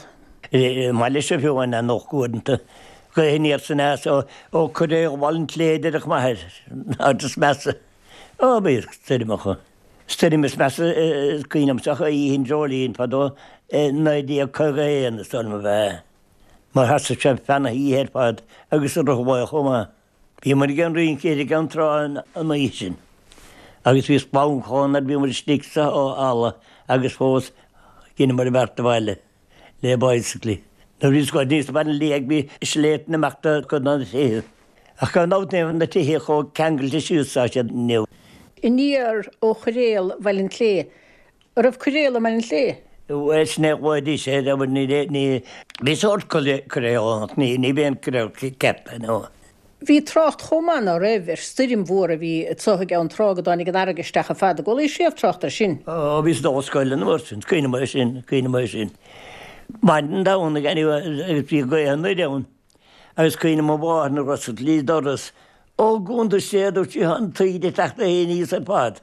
I mbaile seo fiú amháin an-olc uaireanta, gaoth aniar is aneas ó Coiréal Bhaile an tSléibhe a deireadh m'athair, an áit is measa. Ó, bhíodh stoirmeacha. Stoirm is measa is cuimhin liomsa ach Oíche an Dreoilín fadó i naoi déag caoga a haon is dóigh liom ab ea, mar sheasaimh sé feadh na hoíche ar fad agus i rith an lae chomh maith. Bhíomar ag an rince ar an gCeann Trá an oíche sin agus bhí splancadh ann nuair a bhíomar istigh sa halla agus fós dheineamar an bheart abhaile le bicyclí. Nuair a bhí scoil níos baile liath bhí sléibhte amach do chuid de na tithe. Ach gan dabht ní raibh na tithe chomh ceangailte síos is atá siad inniu. Aniar ó choiréal Bhaile an tSléibhe. An raibh coiréal i mBaile an tSléibhe? Bhuel, sin é a ghlaoidís air, abair, ní, ní, bhí sórt coiréal ann ach ní, ní b'é an coiréal ceart é, no. Bhí trácht chomh maith, ná raibh, ar stoirm mhór a bhí anso i gCeann Trá go dtáinig an fharraige isteach ar fad. An gcualaís riamh trácht air sin? Ó, bhíos ag dul 'on scoil an uair sin, cuimhním air sin, cuimhním air sin. Maidin Domhnaigh anyway agus bhí gaoth anoir ann. Agus cuimhním mo mháthair nuair a d'oscail sí doras, Ó, a gcuntais Dé, a dúirt sí, tá an taoide ag teacht aníos ar fad.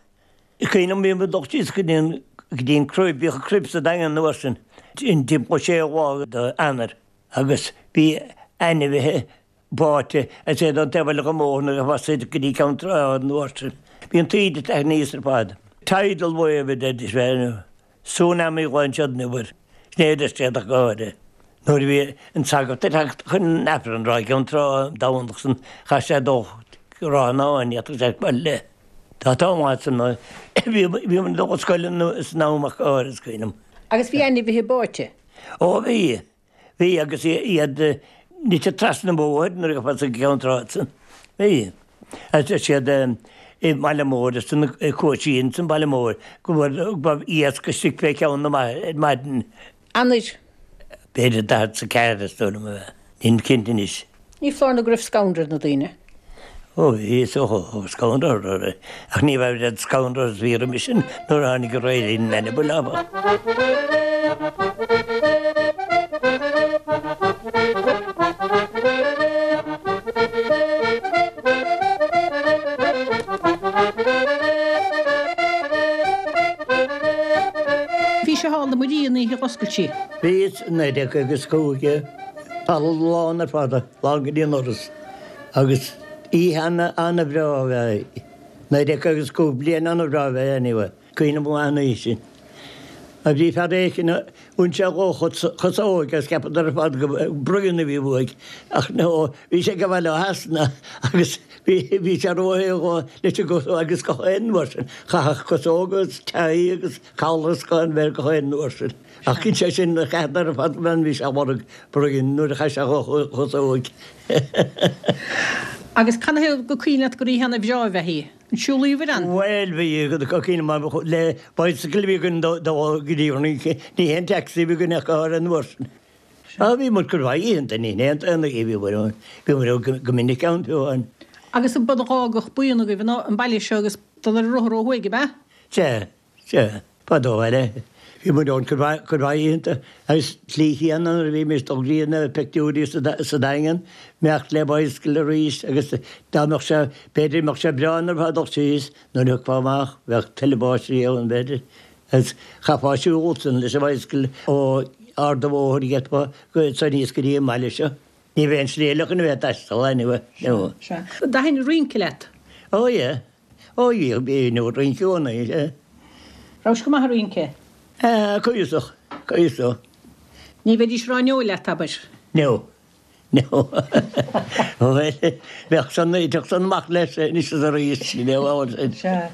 Cuimhním bhí muid ag dul síos go dtí an, go dtí an crib, bhíodh an crib sa Daingean an uair sin, timpeall séú lá d'Eanáir, agus bhí ainmhithe báite agus iad ón taobh eile den bhóthar nuair a bhí siad go dtí Ceann Trá an uair sin. Bhí an taoide ag teacht aníos ar fad. Tidal wave a deiridís, Tsunami a ghlaonn siad inniu air. Sin é a deir siad ach go háirithe. Nuair a bhí an sagart ag teacht chun an Aifrinn i gCeann Trá an Domhnach san chaith sé dul go Ráth an Áin, ní fhéadfadh sé fáil le. Tá t-am maith san bhí bhí muid ag dul 'on scoil san am ach go háirithe is cuimhin liom. Agus bhí ainmhithe báite? Ó bhí. Bhí agus iad nite trasna an bhóthair nuair a ghabhfá go Ceann Trá san. Bhí. Agus deir siad i mBaile Móir is na cóistí san Baile Mór go raibh iasc istigh fé cheann na maidin. Eanáir. B'fhéidir daichead is a ceathair is dóigh liom a bheith. Nílim cinnte anois. Ní foláir nó go raibh scanradh ar na daoine. Ó bhí, is dócha, scanradh orthu. Ach ní raibh oiread scanradh is bhí roimis sin nuair a tháinig an Réiltín Eireabaill, áfach. Bhís i Halla na Muirí an oíche a d'oscail sí. Bhíos, naoi déag caoga is cúig, halla lán ar fad, lán go dtí an doras, agus oíche ana-bhreá ab ea í. Naoi déag caoga is cúig, bliain ana-bhreá ab ea í anyway. Cuimhním go maith an oíche sin. Mar bhí fear éicint a bhain sé dhá chosóg agus cheapadar ar fad go bruíon a bhí uaidh ach no, bhí sé ag gabháil ó Shasana agus bhí sé róshaor dhó leis an gcosóg agus gach aon uair sin chaithfeadh cosóg agus tie agus collar is gach aon bheith gach aon uair sin. Ach cinn sé sin cheapadar ar fad go bhí sé ag lorg bruíon nuair a chaith sé dhá chosóg. Agus canathaobh gur cuimhin leat gur oíche ana-bhreá ab ea í? An siúlaíobhair ann? Bhuel, bhí, cuimhin mar le bicycle a bhí againn do go dtí an rince, ní haon taxi a bhí againn ach go háirithe an uair sin. Á, bhí muid cuid mhaith oícheanta, ní haon t-aon oíche a bhí muid ann, bhí muid go minic ann fiú amháin. Agus ba d'fhágadh buíon agaibh an baile seo agus dul ar an rothar ó thuaidh, ab ea? Sea, sea, fadó eile. Bhí muid ann cuid mhaith oícheanta agus slí chéanna nuair a bhímis ag dul go dtí na pictiúirí sa Daingean, imeacht le bicycle arís agus dá mbeadh sé, b'fhéidir mbeadh sé breá nuair a bheifeá ag dul síos, nuair a thiocfá amach bheadh tuilleadh báistí ann b'fhéidir agus chaithfeá siúl ansan leis an bhicycle ó Ard an Bhóthair gheofá go aníos go dtí an mbaile seo. Ní bheadh aon slí eile chun a bheith ag taisteal anyway. Sea, sea. An dtaithin rince leat? Oh yeah. Ó bhí, bhí nó rince i gcónaí, sea. Rabhais go maith ag rince? Ah, cuíosach, cuíosach. Ní bheidís ag rá no leat, abair? No, no. Bhuel, bheadh san, bheadh san amach leis anois is arís, you know, all sin. Sea.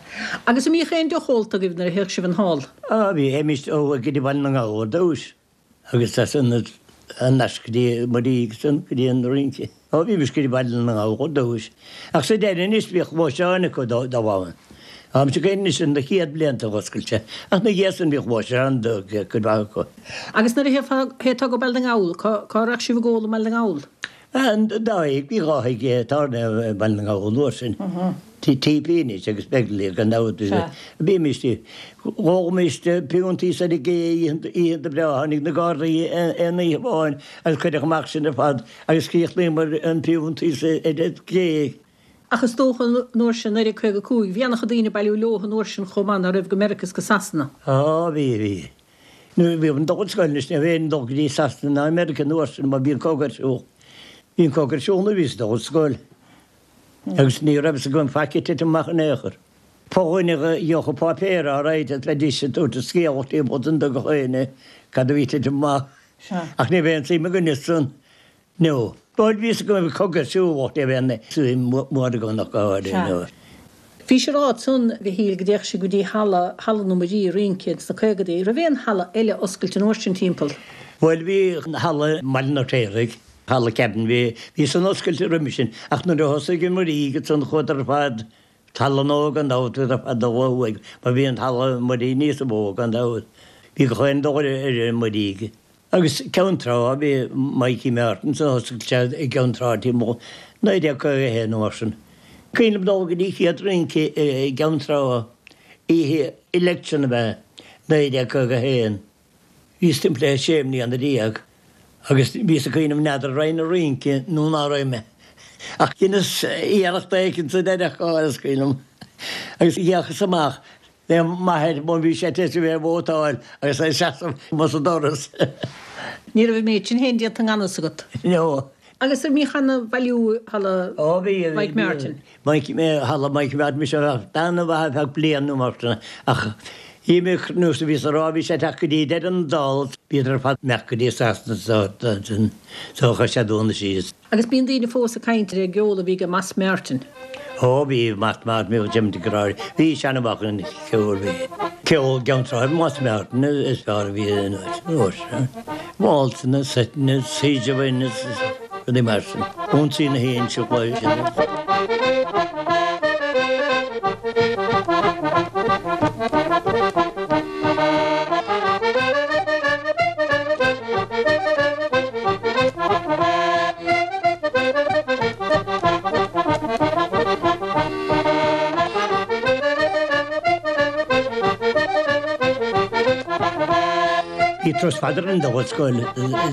Agus an mbíodh aon deoch ólta agaibh nuair a théadh sibh an thall? Ah, bhí, théimis ó go dtí Baile na nGall ar dtús. Agus as san thar n-ais go dtí Muirí agus ansan go dtí an rince. Ó bhímis go dtí Baile na nGall ar dtús. Ach sa deireadh anois bhíodh lóisteáin acu dá bharr. Táimse ag caint anois ar na chéad blianta dh'oscailt sé. Ach na dhiaidh san bhíodh lóisteáin do cuid mhaith acu. Agus nuair a théiteá go Baile na nGall, cá raghadh sibh ag ól i mBaile na nGall? An dá thigh, bhí dhá thigh tábhairne i mBaile na nGall an uair sin. Tigh T.P. anois agus Begley gan dabht. Bhímis, dh'ólaimis piontaí ar an gcé oícheanta breá, tháinig na Gardaí aon oíche amháin agus cuireadh amach sinn ar fad agus chríochnaíomar an piontaí ar an gcé. Ach is dócha an uair sin, naoi déag caoga a cúig, bhí an-chuid daoine ag bailiú leo an uair sin chomh maith ná raibh go Meiriceá is go Sasana. Á, bhí, bhí. Nuair a bhí an dul scoil anois ní raibh aon dul go dtí Sasana ná Meiriceá an uair sin mar bhí an cogadh ar siúl. Bhí an cogadh ar siúl nuair a bhíos ag dul ar scoil agus ní raibh fhios agam faic ag titim amach in aon chor. Fo-dhuine a gheobhadh an páipéar alright agus bheidís ag tabhairt an scéal timpeall don do gach éinne cad a bhí ag titim amach. Ach ní raibh aon suim againne san. No. Bhuel, bhí fhios agam go raibh cogadh ar siúl ach ní raibh aon suim mhór agam ach go háirithe. No. Bhí sé ráite ansan, a Mhichíl, go dtéadh sibh go dtí halla, Halla na Muirí ag rince ins na caogadaí. Raibh aon halla eile oscailte an uair sin timpeall? Bhuel, bhí halla i mBaile an Fheirtéaraigh, Halla Cabin, bhí, bhí san oscailte roimis sin ach nuair a thosaigh an Muirí ansan chuadar ar fad, Halla Nua gan dabht, chuadar ar fad ó thuaidh mar bhí an Halla Muirí níos mó gan dabht. Bhí gach aon dul ar an Muirí. Agus Ceann Trá, bhí Mikey Martin san oscailt sé i gCeann Trá timpeall naoi déag caoga a haon nó mar sin. Cuimhin liom dul go dtí chéad rince i gCeann Trá oíche election ab ea, naoi déag caoga a haon. Bhíos timpeall le sé mbliana déag agus bhíos ag cuimhneamh n'fheadar raghainn a rince nó ná raghaidh mé. Ach dheineas iarracht éicint sa deireadh, is cuimhin liom. Agus d'fhéachas amach Le m'athair má bhí sé tar éis a bheith ag vótáil agus é ag seasamh amuigh sa doras. Ní raibh an méid sin féin déanta i ngan fhios agat. No. Agus an mbíodh ana-bhailiú i halla Ó bhí, bhí. Mike Martin? Mike, halla Mike Martin, bhí sé ana-mhaith ar feadh bliain nó mar sin ach d'imigh nós a bhíos a rá bhí sé ag teacht go dtí deireadh na dála bhíodar ar fad imeacht go dtí Sasana so so chuir sé dúnadh síos. Agus bíonn daoine fós ag caint ar an gceol a bhí ag Moss Martin. Ó bhí Moss Martin, bhí Jim de Gráir, bhí seana-mhaith an ceol, bhí ceol Gceann Trá, Moss Martin is fearr a bhí in uair sin. Waltzanna, seiteanna, sideanna, rudaí mar sin. Ionsaí na hInse Chloiche. turas fada orainn dul ag scoil,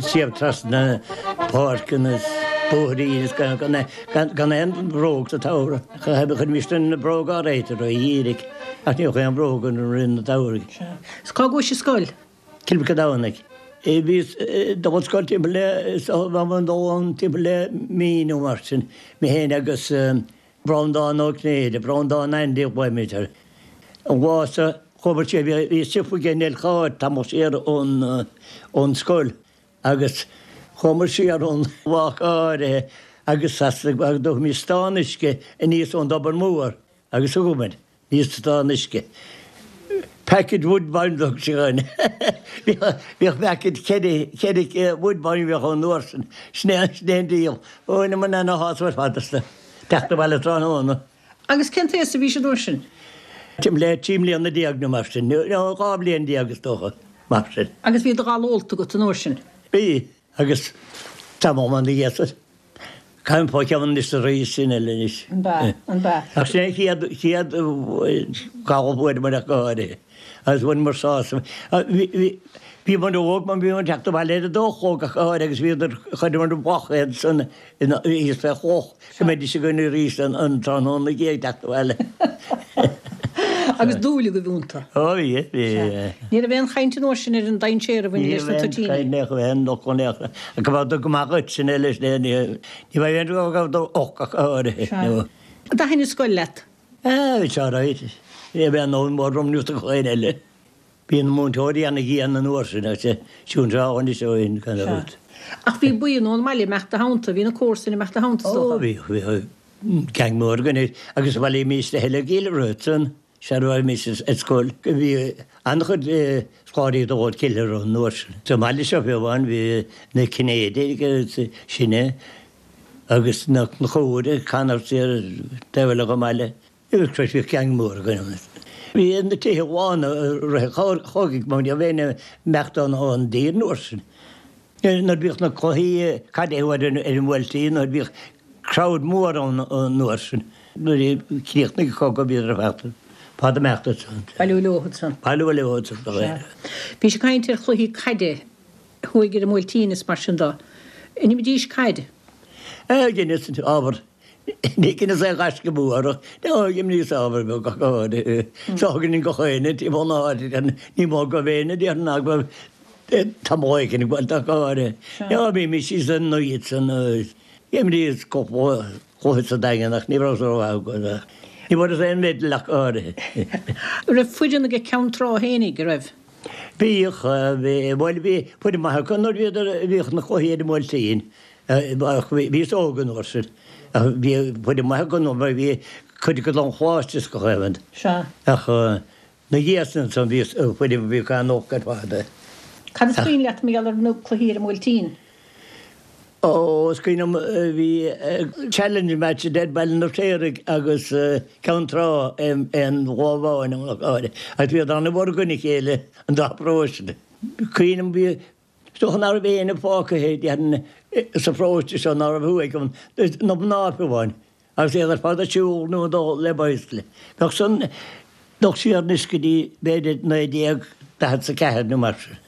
siar trasna páirceanna is bóithrín is gan gan aon bhróg sa tsamhradh. Chuirimis na bróga á réiteach roimh dhíreach ach ní bheadh aon bhróg againn i rith an tsamhraidh. Is cá gcuais ar scoil? Cill Mhic an Domhnaigh. Bhíos dul ag scoil timpeall le, is dul ann timpeall le mí nó mar sin, mé féin agus Breandán Ó Cinnéide, Breandán Andy a ghlaoimid air. An lá so chuamar siar, bhí siopa aige i Neill Chairr tamall siar ón ón scoil agus chuamar siar ón lá go háirithe agus as do stán uisce aníos ón dtobar mór agus thugamar aníos stán uisce. Package Woodbine a thug sé dhúinn. Bhíodh package ceithre ceithre Woodbine a bhíodh ann an uair sin. Sin é sin é an díol. Bhaineamar ana-shásamh ar fad as. Teacht abhaile tráthnóna. Agus cén t-aos a bhís an uair sin? Timpeall le trí mbliana déag nó mar sin, nó dhá bhliain déag is dócha, mar sin. Agus bhí do ghala ólta agat an uair sin? Bhí, agus tamall ina dhiaidh sin. Caithim fá cheann anois arís sin eile anois. An b'ea, an b'ea. Ach sin é an chéad, chéad ghala a fuaireamar ach go háirithe. Agus bhaineamar sásamh. Bhí, bhíomar óg mar bhíomar ag teacht abhaile ar a dó a chlog ach go háirithe agus bhíodar, chuireamar amach iad san thíos fé chloch go mbeidís againn arís an tráthnóna ina dhiaidh ag teacht abhaile. Agus dúil agaibh iontu. Ó bhí, bhí. Ní raibh aon chaint an uair sin ar an dainséar a bhain leis na toitíní. Ní raibh aon chaint, ní raibh aon fhocal go raibh go maith dhuit sin eile sin ní raibh aon rud go raibh olc ach áirithe. An dtaithin an scoil leat? Ah, bhí sé alright. Ní raibh aon fhonn mór orm níos do dhaoine eile. Bhí na múinteoirí ana-dhian an uair sin, agus siúd anseo anois ó shin, gan dabht. Ach bhí buíon ón mbaile ag imeacht i do theannta, bhí na comharsana ag imeacht i do theannta, is dócha? Ó, bhí, bhí gang mór againn agus bhailímis le chéile i gCill Rois ansan, sara raghaimís ar scoil. Bhí an-chuid scoláirí ag dul Cill Rois an uair sin. Sa mbaile seo fiú amháin bhí na Cinnéidigh agus sinne agus na Conchúir, Connors ar taobh eile den mbaile. Agus bhí gang mór againn. Bhí na tithe lán i rith an chogaidh mar ní raibh éinne ag imeacht ón dtír an uair sin. Nuair a bhíodh na cluichí caide ar an mBuailtín, nuair a bhíodh crowd mór ann an uair sin. Nuair a chríochnaigh an cogadh bhíodar ar fad fad imeacht ansan. Bailiú leo ansan. Bailiú leo ansan, do réir. Bhís ag caint ar chluichí caide thuaidh ar an mBuailtín is mar sin do. An imrídís caid? Dheineas ábhar. Ní dheineas aon ghaisce mór ach d'imríos ábhar beag ach go háirithe. Seo againn gach éinne timpeall na háite, ní mó go raibh éinne déarfainn ná go raibh tamall éigin ag baint ach go háirithe. Bhímis síos ar an oíche san D'imríos cúpla cluiche sa Daingean ach ní rabhas rómhaith acu. Ní bhfuaireas aon medal ach go háirithe. An raibh foireann ag Ceann Trá fhéinig, an raibh? Bhíodh, bhuel bhí foireann maith acu nuair bhíodar, bhíodh na cluichí ar an mBuailtín ach bhíos óg an uair sin. Ach bhí foireann maith acu nuair bhí cuid acu don Choláiste is gach aon rud. Sea. Ach na dhiaidh sin ansan bhí foireann a bhí an-olc ar fad. Cad is cuimhin leat mar gheall ar na cluichí ar an mBuailtín? Ó, is cuimhin liom bhí challenge match idir Baile an Fheirtéaraigh agus Ceann Trá aon lá amháin ann ach áirithe agus bhíodar an-mhór i gcoinne a chéile an dá pharóiste. Cuimhin liom bhí, is dócha ná raibh éinne fágtha déarfainn sa pharóiste seo ná raibh thuaidh ann, na mná fiú amháin. Agus iad ar fad ag siúl nó ag dul le bicycle. Bheadh san dul siar anois go dtí b'fhéidir naoi déag daichead is a ceathair nó mar sin.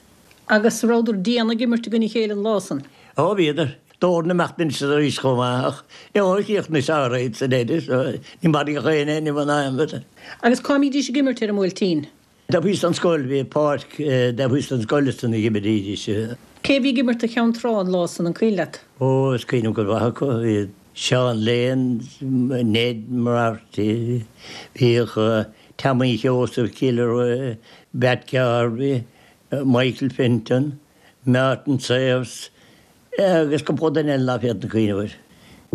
Agus rabhadar dian ag imirt i gcoinne a chéile an lá san? Ó bhíodar. D'fhóir imeacht anois is arís chomh maith ach níor chríochnaigh sé alright sa deireadh so ní maraíodh éinne ní bhain aon rud. Agus cá mbídís ag imirt ar an mBuailtín? Taobh thíos den scoil, bhí páirc taobh thíos den scoil ansan a dh'imrídís. Cé bhí ag imirt do Cheann Trá an lá san, an cuimhin leat? Ó, is cuimhin liom cuid mhaith acu. Bhí Seán Lane, Ned Moriarty, bhíodh Tommy Sheosaimh Gilroy, Pat Garvey, Michael Fenton, Martin Sayers, agus cúpla duine eile ná féadfainn cuimhneamh air.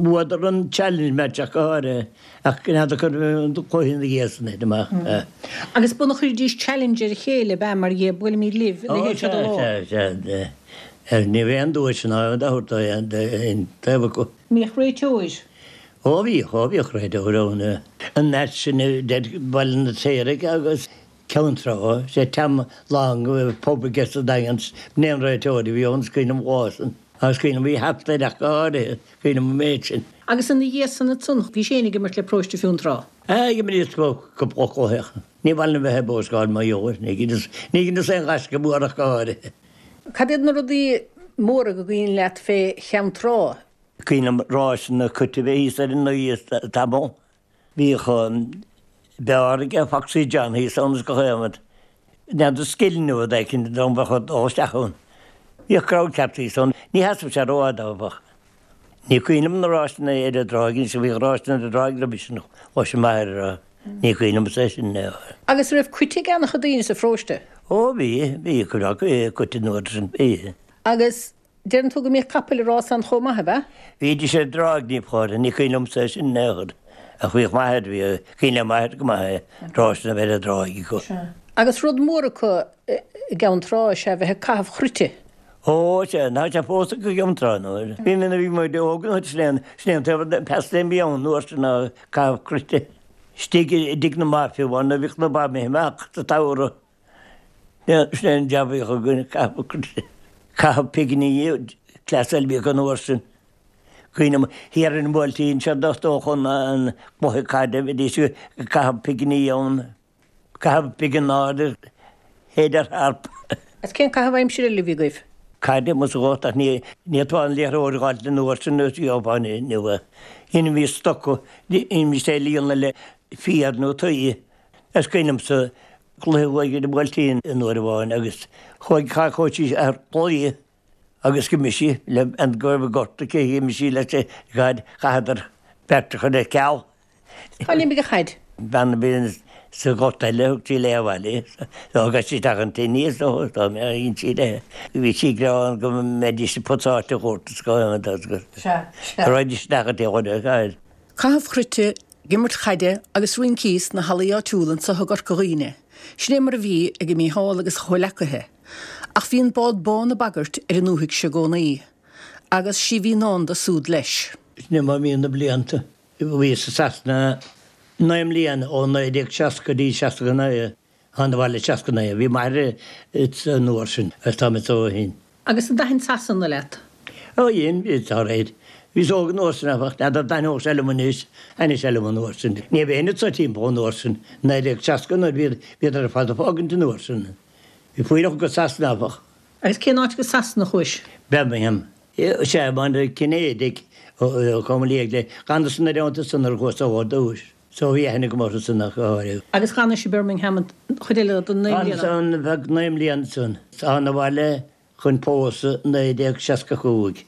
Bhuadar an challenge match ach go háirithe, ach n'fheadar cad é an cluiche ina dhiaidh san thit amach. Agus b'ionann a chuiridís challenge ar a chéile, ab ea, mar dhea, buailimid libh, a leithéid seo de lá. Ó, sea, sea, sea. Ní raibh aon duais ná aon dabht aon taobh acu. Mbíodh réiteoir? Ó bhíodh, ó bhíodh réiteoir ann. An match sin idir Baile an Fheirtéaraigh agus. Ceann Trá, sé Tom Long a bhí pub aige sa Daingean, b'in é an réiteoir a bhí ann, is cuimhin liom an lá san, agus cuimhin liom bhí hata air ach go háirithe, cuimhin liom an méid sin. Agus ina dhiaidh san ansan, bhís féin ag imirt le Paróiste Fionntrá? Ah, d'imríos cúpla cluiche. Ní mhaith liom bheith ag bóscáil mar gheall air, ní dheineas, ní dheineas aon ghaisce mór ach go háirithe. Cad iad na rudaí móra go gcuimhin leat fé Cheann Trá? Cuimhin liom ráiseanna cait a bheith thíos ar an Ngaoth tamall. Bhíodh beár aige Foxy John thíos ann is gach aon rud. N'fheadar scil nó rud éicint dá mbeadh ag dul isteach ann. Bhíodh crowd ceart thíos ann. Ní sheasamh sé rófhada áfach. Ní cuimhin liom na ráiseanna ar an dtráigh anois, bhíodh ráiseanna ar an dtráigh roimhe sin, chloisim m'athair ag rá. Ní cuimhin liomsa é sin. Agus raibh cait ag an-chuid daoine sa pharóiste? Ó bhí, bhí cuid acu, cait an uair sin, bhí. Agus deireann tú go mbíodh capaill ag rás ann chomh maith, ab ea? Bhídís ar an dtráigh ní ba chóir, ní cuimhin liomsa é sin in aon chor. Ach bhíodh m'athair, bhí, cuimhin le m'athair go maith é, ráiseanna a bheith ar an dtráigh acu. Sea. Agus rud mór acu i gCeann Trá is ea bheith ag caitheamh chruite. Ó, sea, tá sé fós acu i gCeann Trá nó. Bhí mé, bhí muid óg an uair sin, sin é an taobh, pastime a bhí ann an uair sin ná caitheamh cruite. Istigh i dtigh na mba fiú amháin nuair a bhíodh na ba imithe amach sa tsamhradh. Sin é an jab a bhíodh againn, caitheamh cruite. Caitheamh pinginí, cleas eile a bhíodh an uair sin. Cuimhin liom thiar ar an mBuailtín, séard is dócha an cluiche caide, bhídís ag caitheamh pinginí ann. Caitheamh pingin ard, shéid ar tharp. Is cén caitheamh aimsire eile a bhí agaibh? Caide, más ea, ach ní fhéadfá an liathróid a dh'fháilt an uair sin is gheofá inniu é. Dheinimís stoca, dheinimís é a líonadh le féar nó tuí. Is cuimhin liomsa cluiche uaidh ar an mBuailtín an uair amháin agus chuaigh chuaigh sí ar claí agus d'imigh sí le an go raibh gorta aici, d'imigh sí leis an gcaid, chaitheadar beirt a chur ar ceal. Cá n-imigh an chaid? Bean a bhí sa ghort eile, thug sí léi abhaile í. Thug sí isteach an tine í is dócha, dá mbeadh aon sí léi. Bhí sí ag rá go mbeidís ag putsáilte a thabhairt is go Sea, sea. raghaidís isteach an taobh eile, caid. Caitheamh chruite, ag imirt chaide agus rincí sna hallaí áitiúla anso i gCorca Dhuibhne. Sin é mar a bhí ag Mícheál agus a chomhleacaithe. Ach bhí an bád bán ag bagairt ar an ndúthaigh seo i gcónaí. Agus sí bhí i ndán do súd leis. Sin é mar a bhíonn na blianta. Bhíos i Sasana naoi mbliana, ó naoi déag seasca go dtí seasca a naoi. Thána abhaile seasca a naoi. Bhí m'athair an uair sin agus táim anso ó shin. Agus an dtaithin Sasana leat? Ó dhein, bhí, dá réir. Bhíos óg an uair sin, áfach. N'fheadar an dtaitneodh sé liom anois. Thaitnigh sé liom an uair sin. Ní raibh éinne anso timpeall an uair sin. Naoi déag seasca a naoi, bhíodar, bhíodar ar fad ag fágaint an uair sin. Bhí fuílleach go Sasana, áfach. Agus cén áit go Sasana a chuais? Birmingham. Sea, mar Cinnéidigh ó Com Liag le d'fhanas ina dteannta san nuair a chuas ó ar dtúis. So bhí aithne agam orthu san ach go háirithe. Agus d'fhanais i Birmingham an chuid eile den naoi mbliana? D'fhanas ann feadh naoi mbliana ansan. Thána abhaile chun pósadh naoi déag seasca cúig.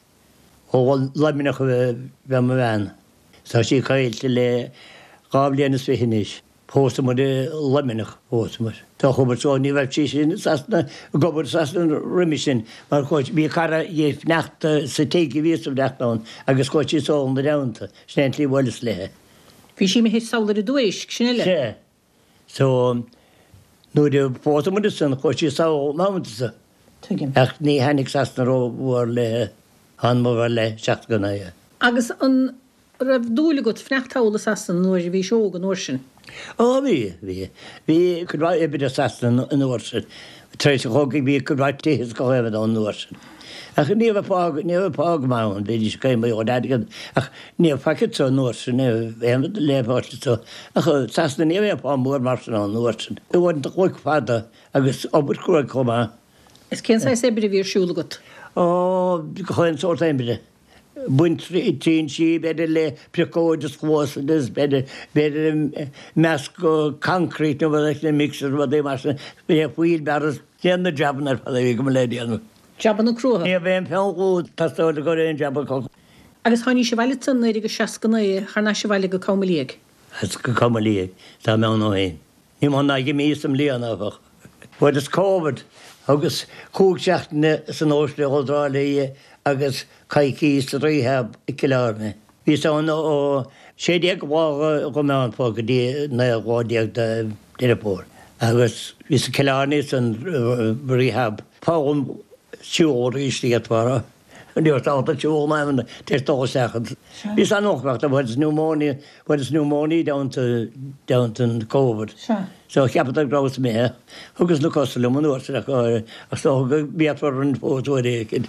Ó Luimneach a bhí mo bhean. Tá sí caillte le dhá bhliain is fiche anois. Phósamar i Luimneach, phósamar. Tá chuamar so ní raibh sí sin i Sasana, ag obair i Sasana roimhe sin mar chuaigh, bhí cara dhi ag fanacht sa tigh a bhíos ag fanacht ann agus chuaigh sí sall ina dteannta, sin é an tslí a bhuaileas léi. Bhí sí imithe sall ar an Dumha Éisc, sin uile. Sea. So, nuair a phósamar ansan chuaigh sí sall ina theannta-sa. Tuigim. Ach ní thaitnigh Sasana rómhór léi, thánamar abhaile seasca a naoi. Agus an raibh dúil agat fanacht thall i Sasana nuair a bhís óg an uair sin? Ó bhí, bhí. Bhí cuid mhaith oibre i Sasana an uair sin. Tar éis an chogaidh bhí cuid mhaith tithe is gach aon rud ann an uair sin. Ach ní raibh pá, ní raibh pá go maith ann, bhídís ag caoineadh ar airgead ach ní raibh faic anso an uair sin, ní raibh aon rud le fáil anso. Ach Sasana ní raibh aon phá mór mar sin ann an uair sin. Uaireanta cloig fada agus obair chruaidh chomh maith. Is cén saghas oibre a bhí ar siúl agat? Ó, gach aon sórt oibre. Baint trinsí, b'fhéidir le piocóid is cluasa agus b'fhéidir, b'fhéidir meascadh concrete nó rud éicint, mixer, rudaí mar sin, le wheelbarrows, déan na jabanna ar fad a bhí agam le déanamh. Jabanna cruaidhe. Ní raibh aon pheann luaid ag teastáil i gcomhair aon jab acu. Agus tháinís abhaile ansan naoi déag seasca naoi thar n-ais abhaile go Com Liag. As go Com Liag, tá mé ann ó shin. Ní mó ná mí sa mbliain, áfach. Fuaireas Covid agus cúig seachtaine san Óstlann i dTrá Lí agus coicís sa rehab i gCill Airne. Bhíos ann ó sé déag lá de Mheán Fómhair go dtí naoi lá déag de Deireadh Fómhair agus bhíos i Cill Airne san rehab. Foghlaim siúl arís d'fhéadfá a rá. Ní raibh ábalta siúl in aon tar éis dul isteach ann. Bhíos an-lochtach, fuaireas pneumonia, fuaireas pneumonia i dteannta, dteannta an Covid. So cheapadar go rabhas imithe. Thugas na cosa liom an uair sin ach ach is dócha go bhféadfar an fós uair éicint.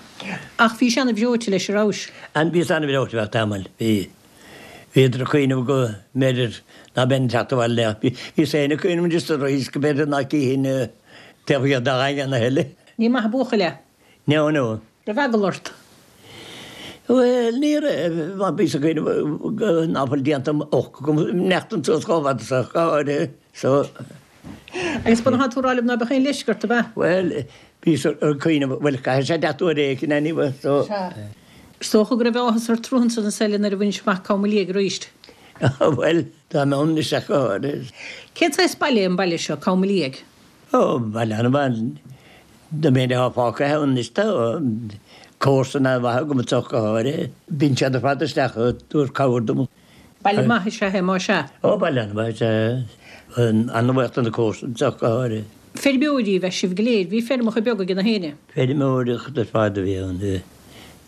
Ach bhís ana-bhreoite leis a rabhais? An, bhíos ana-bhreoite feadh tamaill, bhí. Bhíodar ag cuimhneamh go mb'fhéidir ná beinn ag teacht abhaile ach bhíos féin ag cuimhneamh just arís go mb'fhéidir ná cífinn taobh thiar dá dhaingean a thuilleadh. Ní maith an buachaill é. No, no. Raibh eagal ort? Bhuel, ní raibh, mar bhíos ag cuimhneamh ná fuil déanta olc agam neachtain suas chomh fada so, go háirithe, so. Agus ba atá tú a rá liom ná beadh aon leisce ort, ab ea? Bhuel, bhíos ag cuimhneamh, bhuel, caithfidh sé teacht uair éicint anyway, so. Sea. Is dócha go raibh áthas ort ansan sa tseile nuair a bhainis amach Com Mo Liag arís. Bhuel, tá mé ann anois ach go háirithe. Cén saghas baile é an baile seo, Com Mo Liag? Ó, baile an-mhaith. An méid atá fágtha ann anois tá comharsan an-mhaith agam anseo go háirithe. Bíonn siad ar fad isteach ag tabhairt cabhair dom. Baile maith is ea é, más ea. Ó, baile an-mhaith is ea é. An-bhuíoch do na comharsana anseo go háirithe. Feirmeoirí ab ea sibh go léir. Bhí feirmeacha beaga ag na héinne. Feirmeoireacht ar fad a bhí ann.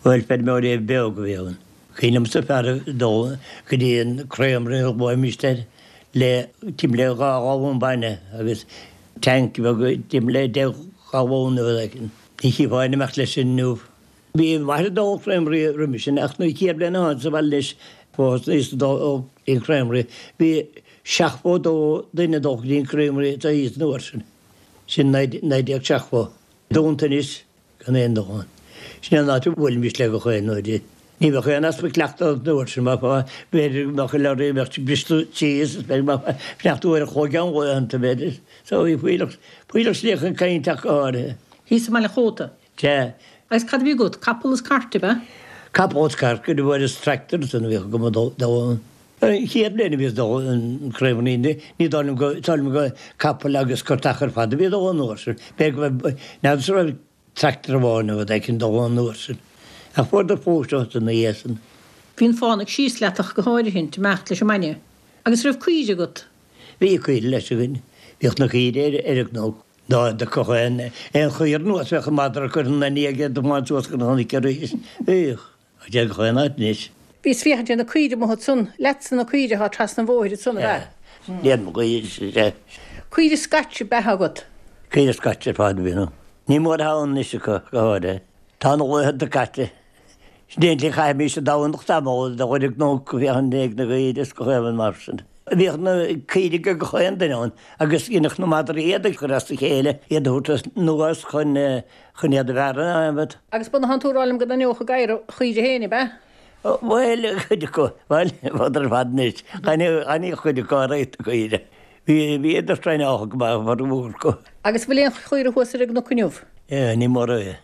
Bhuel, feirmeoirí beaga a bhí ann. Cuimhin liomsa fear ag dul go dtí an creamery a ghlaoimist air le timpeall le dhá ghalún bainne agus tank beag timpeall le deich ngalún nó rud éigin. Ní chífeá aon imeacht leis sin inniu. Bhí m'athair ag dul creamery roimhe sin ach nuair a chéad bhliain a tháinig sa bhaile leis thosnaíos ag dul go dtí an creamery. Bhí seachtó dó duine ag dul go dtí an creamery sa oíche an uair sin. Sin naoi déag seachtó. Dúnta anois gan aon dul ann. Sin é an áit a bhuailimis le gach aon uair. Ní bheadh aon easpa cleachtaidh an uair sin, mar b'fhéidir go mbeadh lorry, bheadh briste síos is b'fhéidir go mbeadh sneachta uair an chloig ann laethanta, b'fhéidir. So bhí fuílleach, fuílleach slí chun cainte ach go háirithe. Thíos i mBaile an Chóta. Sea. Agus cad a bhí agat? Capall is cairt, ab ea? Capall is cairt, go bhfuair is tractor san a bhíodh agam ag dul ann. An chéad bhliain a bhíos ag dul an creamery, ní dóigh liom go, is dóigh liom go capall agus cartach ar fad a bhí ag dul an uair sin. B'fhéidir go raibh, n'fheadar an raibh tractor amháin nó rud éicint dul an uair sin. Ach fuaireadar pósadh ina dhiaidh san. Bhí an fánaidh síos leat ach go háirithint, imeacht leis an mbainne. Agus raibh caoire agat? Bhí caoire leis againn. Bhíodh na caoire ar ar an gcnoc. Dá dtiocfadh aon aon chaor anuas bheadh an madra ag cur ina ndiaidh é do thiomáint suas go na chnoic arís. Bhíodh. Ach deir gach aon áit anois. Bhíos féachaint ar na caoire amuigh ansan. Leatsa na caoire atá trasna an bhóthair ansan, ab ea? Iad mo chaoire, sea. Caoire Scotch ab ea agat? Caoire Scotch ar fad a bhí ann. Ní mór atá ann anois acu, go háirithe. Tá na laethanta caite. Sin é an tslí a chaithimís an Domhnach tamall de dhul ar an gcnoc ag féachaint ag na caoire is gach aon rud mar sin. Bhíodh na caoirigh ag gach aon duine ann agus dheineadh na madraí iad a chur as a chéile, iad a thabhairt anuas chun chun iad a bhearradh, adhmad. Agus ba ea, tánn tú ag rá liom go dtaitneodh an gadhar a chaoire féin, ab ea? Bhuel, cuid acu, bhuel, bhíodar ar fad anois, chan íoc cuid acu ar aghaidh na caoire. Bhí, bhíodar traenáilte go maith, formhór acu. Agus bhfuil aon chaora thuas ar an gcnoc inniu? Ní mór é.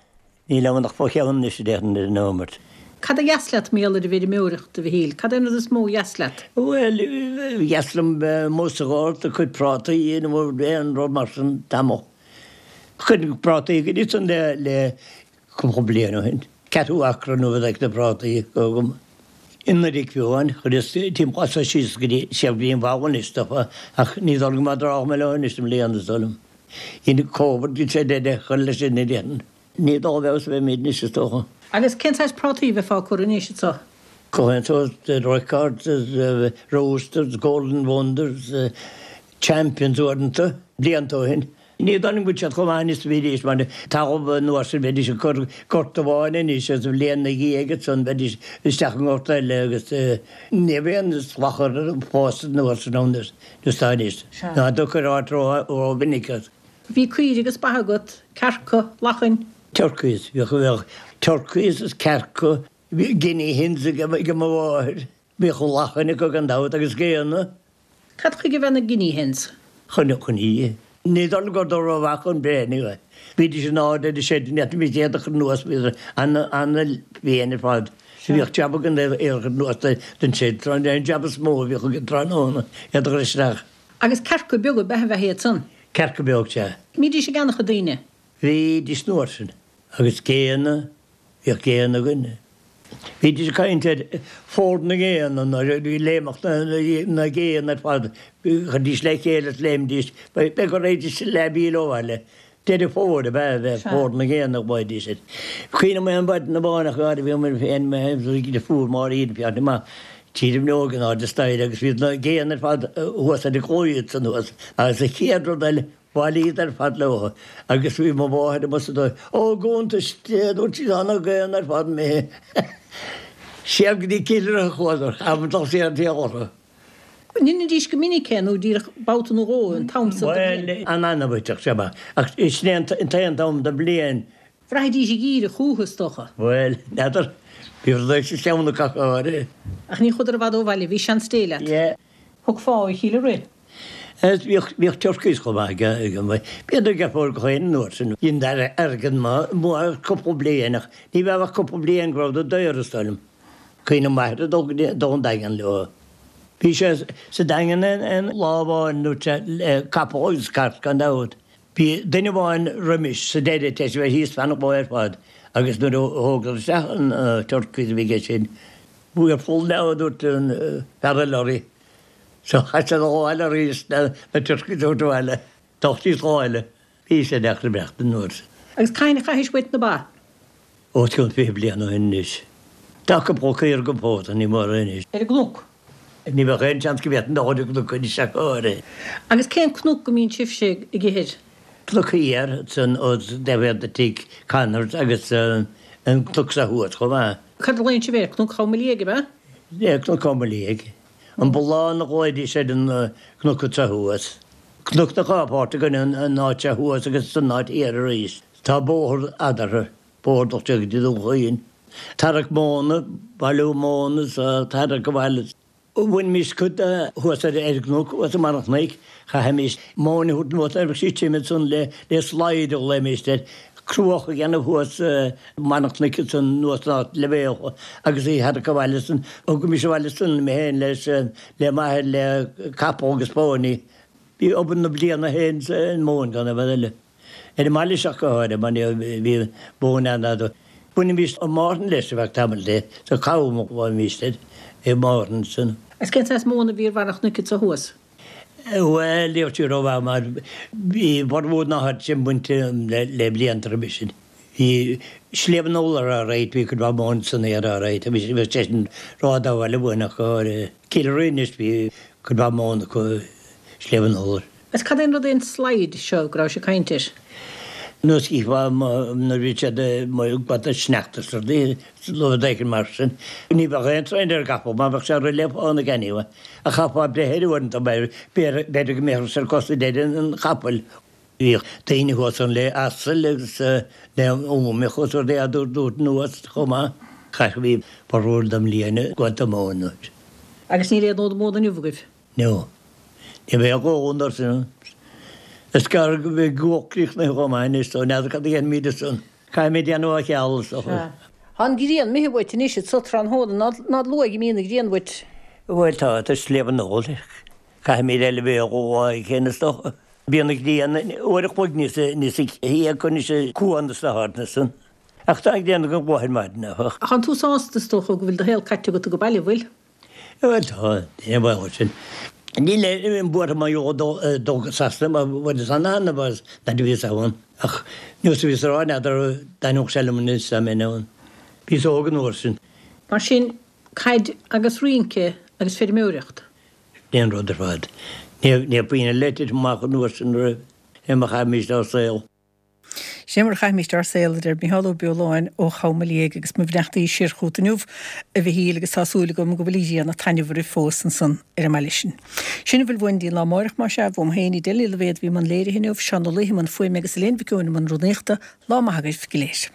Níl ann ach fo cheann anois, a déarfainn, ar an nóimeart. Cad a dheas leat mar gheall ar an bhfeirmeoireacht, a Mhichíl? Cad é an rud is mó a dheas leat? Bhuel, dheas liom bheith amuigh sa ghort ag cur prátaí nó aon rud mar sin tamall. Chuir prátaí go dtí san le, le cúpla bliain ó shin. Ceathrú acra nó rud éigin de phrátaí agam. I nDoire Fiúin, chuireas timpeall as síos go dtí siar go dtí an bhalla anois dófa, ach ní dóigh liom go mbeidh drogall mé leo anois i mbliana is dóigh liom. Dhein Covid dhein sé deireadh a chur leis sin a déarfainn. Ní dá bhfeabhas a bheimid anois is dócha. Agus cén saghas prátaí a bheifeá ag cur anois anseo? Gach aon sórt, Records, Roosters, Golden Wonders, Champions uaireanta, blianta ó shin. Ní dóigh liom go bhfuil siad chomh maith anois is a bhídís mar talamh an uair sin bheidís ag cur gort amháin anois agus an bhliain ina dhiaidh ansan bheidís isteach i ngort eile agus ní raibh aon salachar ag fás an uair sin ann is atá anois. Ná do cur áit ró-mhinic as. Bhí caoirigh agus ba agat, cearca, lachain. Turkeys, bhíodh, bhíodh turkeys is cearca, bhí guinea hens ag mo mháthair, bhíodh lachain acu gan dabht agus géanna. Cad chuige a bheadh na guinea hens? Chun, chun í. Ní dóigh liom gur rómhaith chun breith. Bhídís in airde ar an seid, ní fhéadfaimis iad a chur anuas, bhíodar an-mhion ar fad. Bhíodh jab againn iad a chur anuas den seid, tráth, an jab is mó a bhíodh againn tráthnóna, iad a chur isteach. Agus cearca beaga ab ea a bheadh iad san? Cearca beag, sea. Mbídís á gceannach ag daoine? Bhídís an uair sin. Agus géanna, bhíodh géanna againn. Bhídís ag caint ar Fómhar na nGéanna nuair a bhí léimeacht na ngéanna ar fad, chuiridís le chéile is léimidís, b'fhéidir go raghaidís leath mhíle ó bhaile. Deireadh Fómhair ab ea a bheith Fómhar na nGéanna a ghlaoidís air. Cuimhním aon mhaidin amháin ach go háirithe bhíomar féin fuair Máirín féachaint amach tír an bhreoig in airde staighre agus bhí na géanna ar fad thuas ar an gclaí ansan thuas agus an chéad rud eile Bhailíodar ar fad leo agus bhí mo mháthair amuigh sa dóigh. Ó, go hiontais Dé, a dúirt sí, tá na géanna ar fad imithe. Siar go dtí Cill Rois a chuadar, chaithfear dul siar an taobh orthu. An ndeinidís go minic é nó díreach babhta nó dhó an t-am san de bhliain? Bhuel, an-annamh a thiteadh sé amach, ach sin é an t-aon t-am den bhliain Bhraithidís ag iarraidh chúthu, is dócha. Bhuel, n'fheadar. Bhí rud éigin sa cheann acu ach go háirithe. Ach ní chuadar i bhfad ó bhaile, bhí seans Dé leat. Yeah. Thug fá a chéile rith. Agus bhíodh, bhíodh turkeys chomh maith ag, ag an, b'fhéidir ag fóir gach aon uair sin. Bhí an airgead maith, maith cúpla bliain ach ní bheadh ach cúpla bliain go rabhadar daor is dóigh liom. Cuimhním m'athair ag dul go dtí, dul an Daingean leo. Bhí sé sa Daingean aon lá amháin nó le capall agus cairt gan dabht. Bhí duine amháin roimis sa deireadh tar éis a bheith thíos fan an lá ar fad agus nuair a thógadar isteach an turkeys a bhí aige sin, We're full now a dúirt an fear eile uirthi. So chaith sé a dhul abhaile arís na turkeys a thabhairt abhaile. D'fhág síos dhá eile. Bhí sé deacair imeacht an uair sin. Agus cathain a chaithis uait na ba? Os cionn fiche bliain ó shin anois. Tá cúpla caora agam fós, ach ní mórán anois. Ar an gcnoc? Ní bheadh aon seans go bhféadfainn dul ar an gcnoc anois ach go háirithe. Agus cén cnoc go mbíonn sibhse ag ithir? Cnoc Thiar, san os taobh de tigh Connors agus an cnoc seo thuas chomh maith. Cad a ghlaonn sibh air? Cnoc Chom Liag, ab ea? Yeah, Cnoc Chom Liag. An Bullán a ghlaoidís ar an gcnoc seo thuas. Cnoc na dhá pháirt againn, an áit seo thuas agus an áit thiar arís. Tá bóthar eadarthu, bóthar dul go dtí Dún Chaoin. Tarrac móna, bailiú móna is tarrac abhaile. Bhainimis cuid de thuas ar an gcnoc, thuas i mbarr an chnoic. Chaithimis móin a thabhairt anuas nuair a bheadh sí tirim ansan le le slide a ghlaoimis air, cruach a dhéanamh thuas i mbarr an chnoic ansan anuas san áit leibhéal agus í a tharrac abhaile ansan. Thugaimis abhaile ansan mé féin leis le m'athair le capall agus pónaí. Bhí obair na bliana féin sa móin gan aon rud eile. Ar an mbaile seo go háirithe, mar bhí móin an-fhada. Bhainimis an márthain leis ar feadh tamaill de, sa cam a bhainimis air, i márthain san. Agus cén saghas móna a bhí ar bharr an chnoic anso thuas? Bhuel, ní raibh sí rómhaith mar bhí formhór na háite sin bainte le blianta roimhe sin. Bhí Sliabh an Iolair alright, bhí cuid mhaith móin san aer alright, bhí sé sin ródháil a bhain ach go háirithe. Cill Rinn anois, bhí cuid mhaith móin acu i Sliabh an Iolair. Agus cad é an rud é an slide seo go rabhais ag caint air? Nós chífeá nuair a bhí siad ag gabháil sneachta is rudaí, rud éigin mar sin. Ní bheadh aon srian ar an gcapall mar bheadh sé ag rith le fána anyway. Ach chaithfeá breith air uaireanta mar b'fhéidir go mbeadh ar cosa deiridh an chapaill. Bhíodh daoine thuas ann le asail agus le úmacha is rudaí á dtabhairt anuas chomh maith. Chaith bhí formhór na bliana ag gabháil móin. Agus níl aon fhód móna inniu agaibh? No. Ní bheadh dhó an sin. Is gearr go mbeidh go críochnaithe chomh maith anois so n'fheadar cad a dhéanfaimid ansan. Caithfimid déanamh á cheal is dócha. Tá an ghrian imithe uait anois anso tráthnóna, ná luath go mbíonn an ghrian uait. Bhuel tá, tá Sliabh an Iolair. Caithfimid eile bheith dhó aghaidh féin is dócha. Bíonn an ghrian uair a chloig níos níos thia acu anois i Cuan is na háiteanna san. Ach tá an ghrian go luath ar maidin áfach. Ach tánn tú sásta is dócha go bhfuil do shaol caite agat ag baile, bhfuil? Bhuel tá, ní baol sin. Níl aon buartha mar gheall dul go Sasana mar bhuel is an-annamh as nuair a bhíos ann. Ach nós a bhíos a rá n'fheadar an dtaitneodh sé liom anois dá mbeinn ann. Bhíos óg an uair sin. Mar sin, caid agus rince agus feirmeoireacht. Sin é an rud ar fad. Ní raibh puinn eile ag titim amach an uair sin roimh mar a chaithimís ár saol. Sin mar a chaithimíst ár saol, a deir Micheál Ó Beoláin ó Chom Liag agus mo bheannachtaí siar chugat inniu, a Mhichíl, agus tá súil agam go bhfuil an ghrian ag taitneamh oraibh fós ansan ar an mbaile sin. Sin a bhfuil uainn dtí an lá amáireach, más ea, uaim féin, Edel Ní Loibhéad a bhí i mbun léirithe inniu, Seán Ó Laoithe i mbun fuaime agus Elaine Mhic Eoin i mbun rúnaíochta. Lá maith agaibh go léir.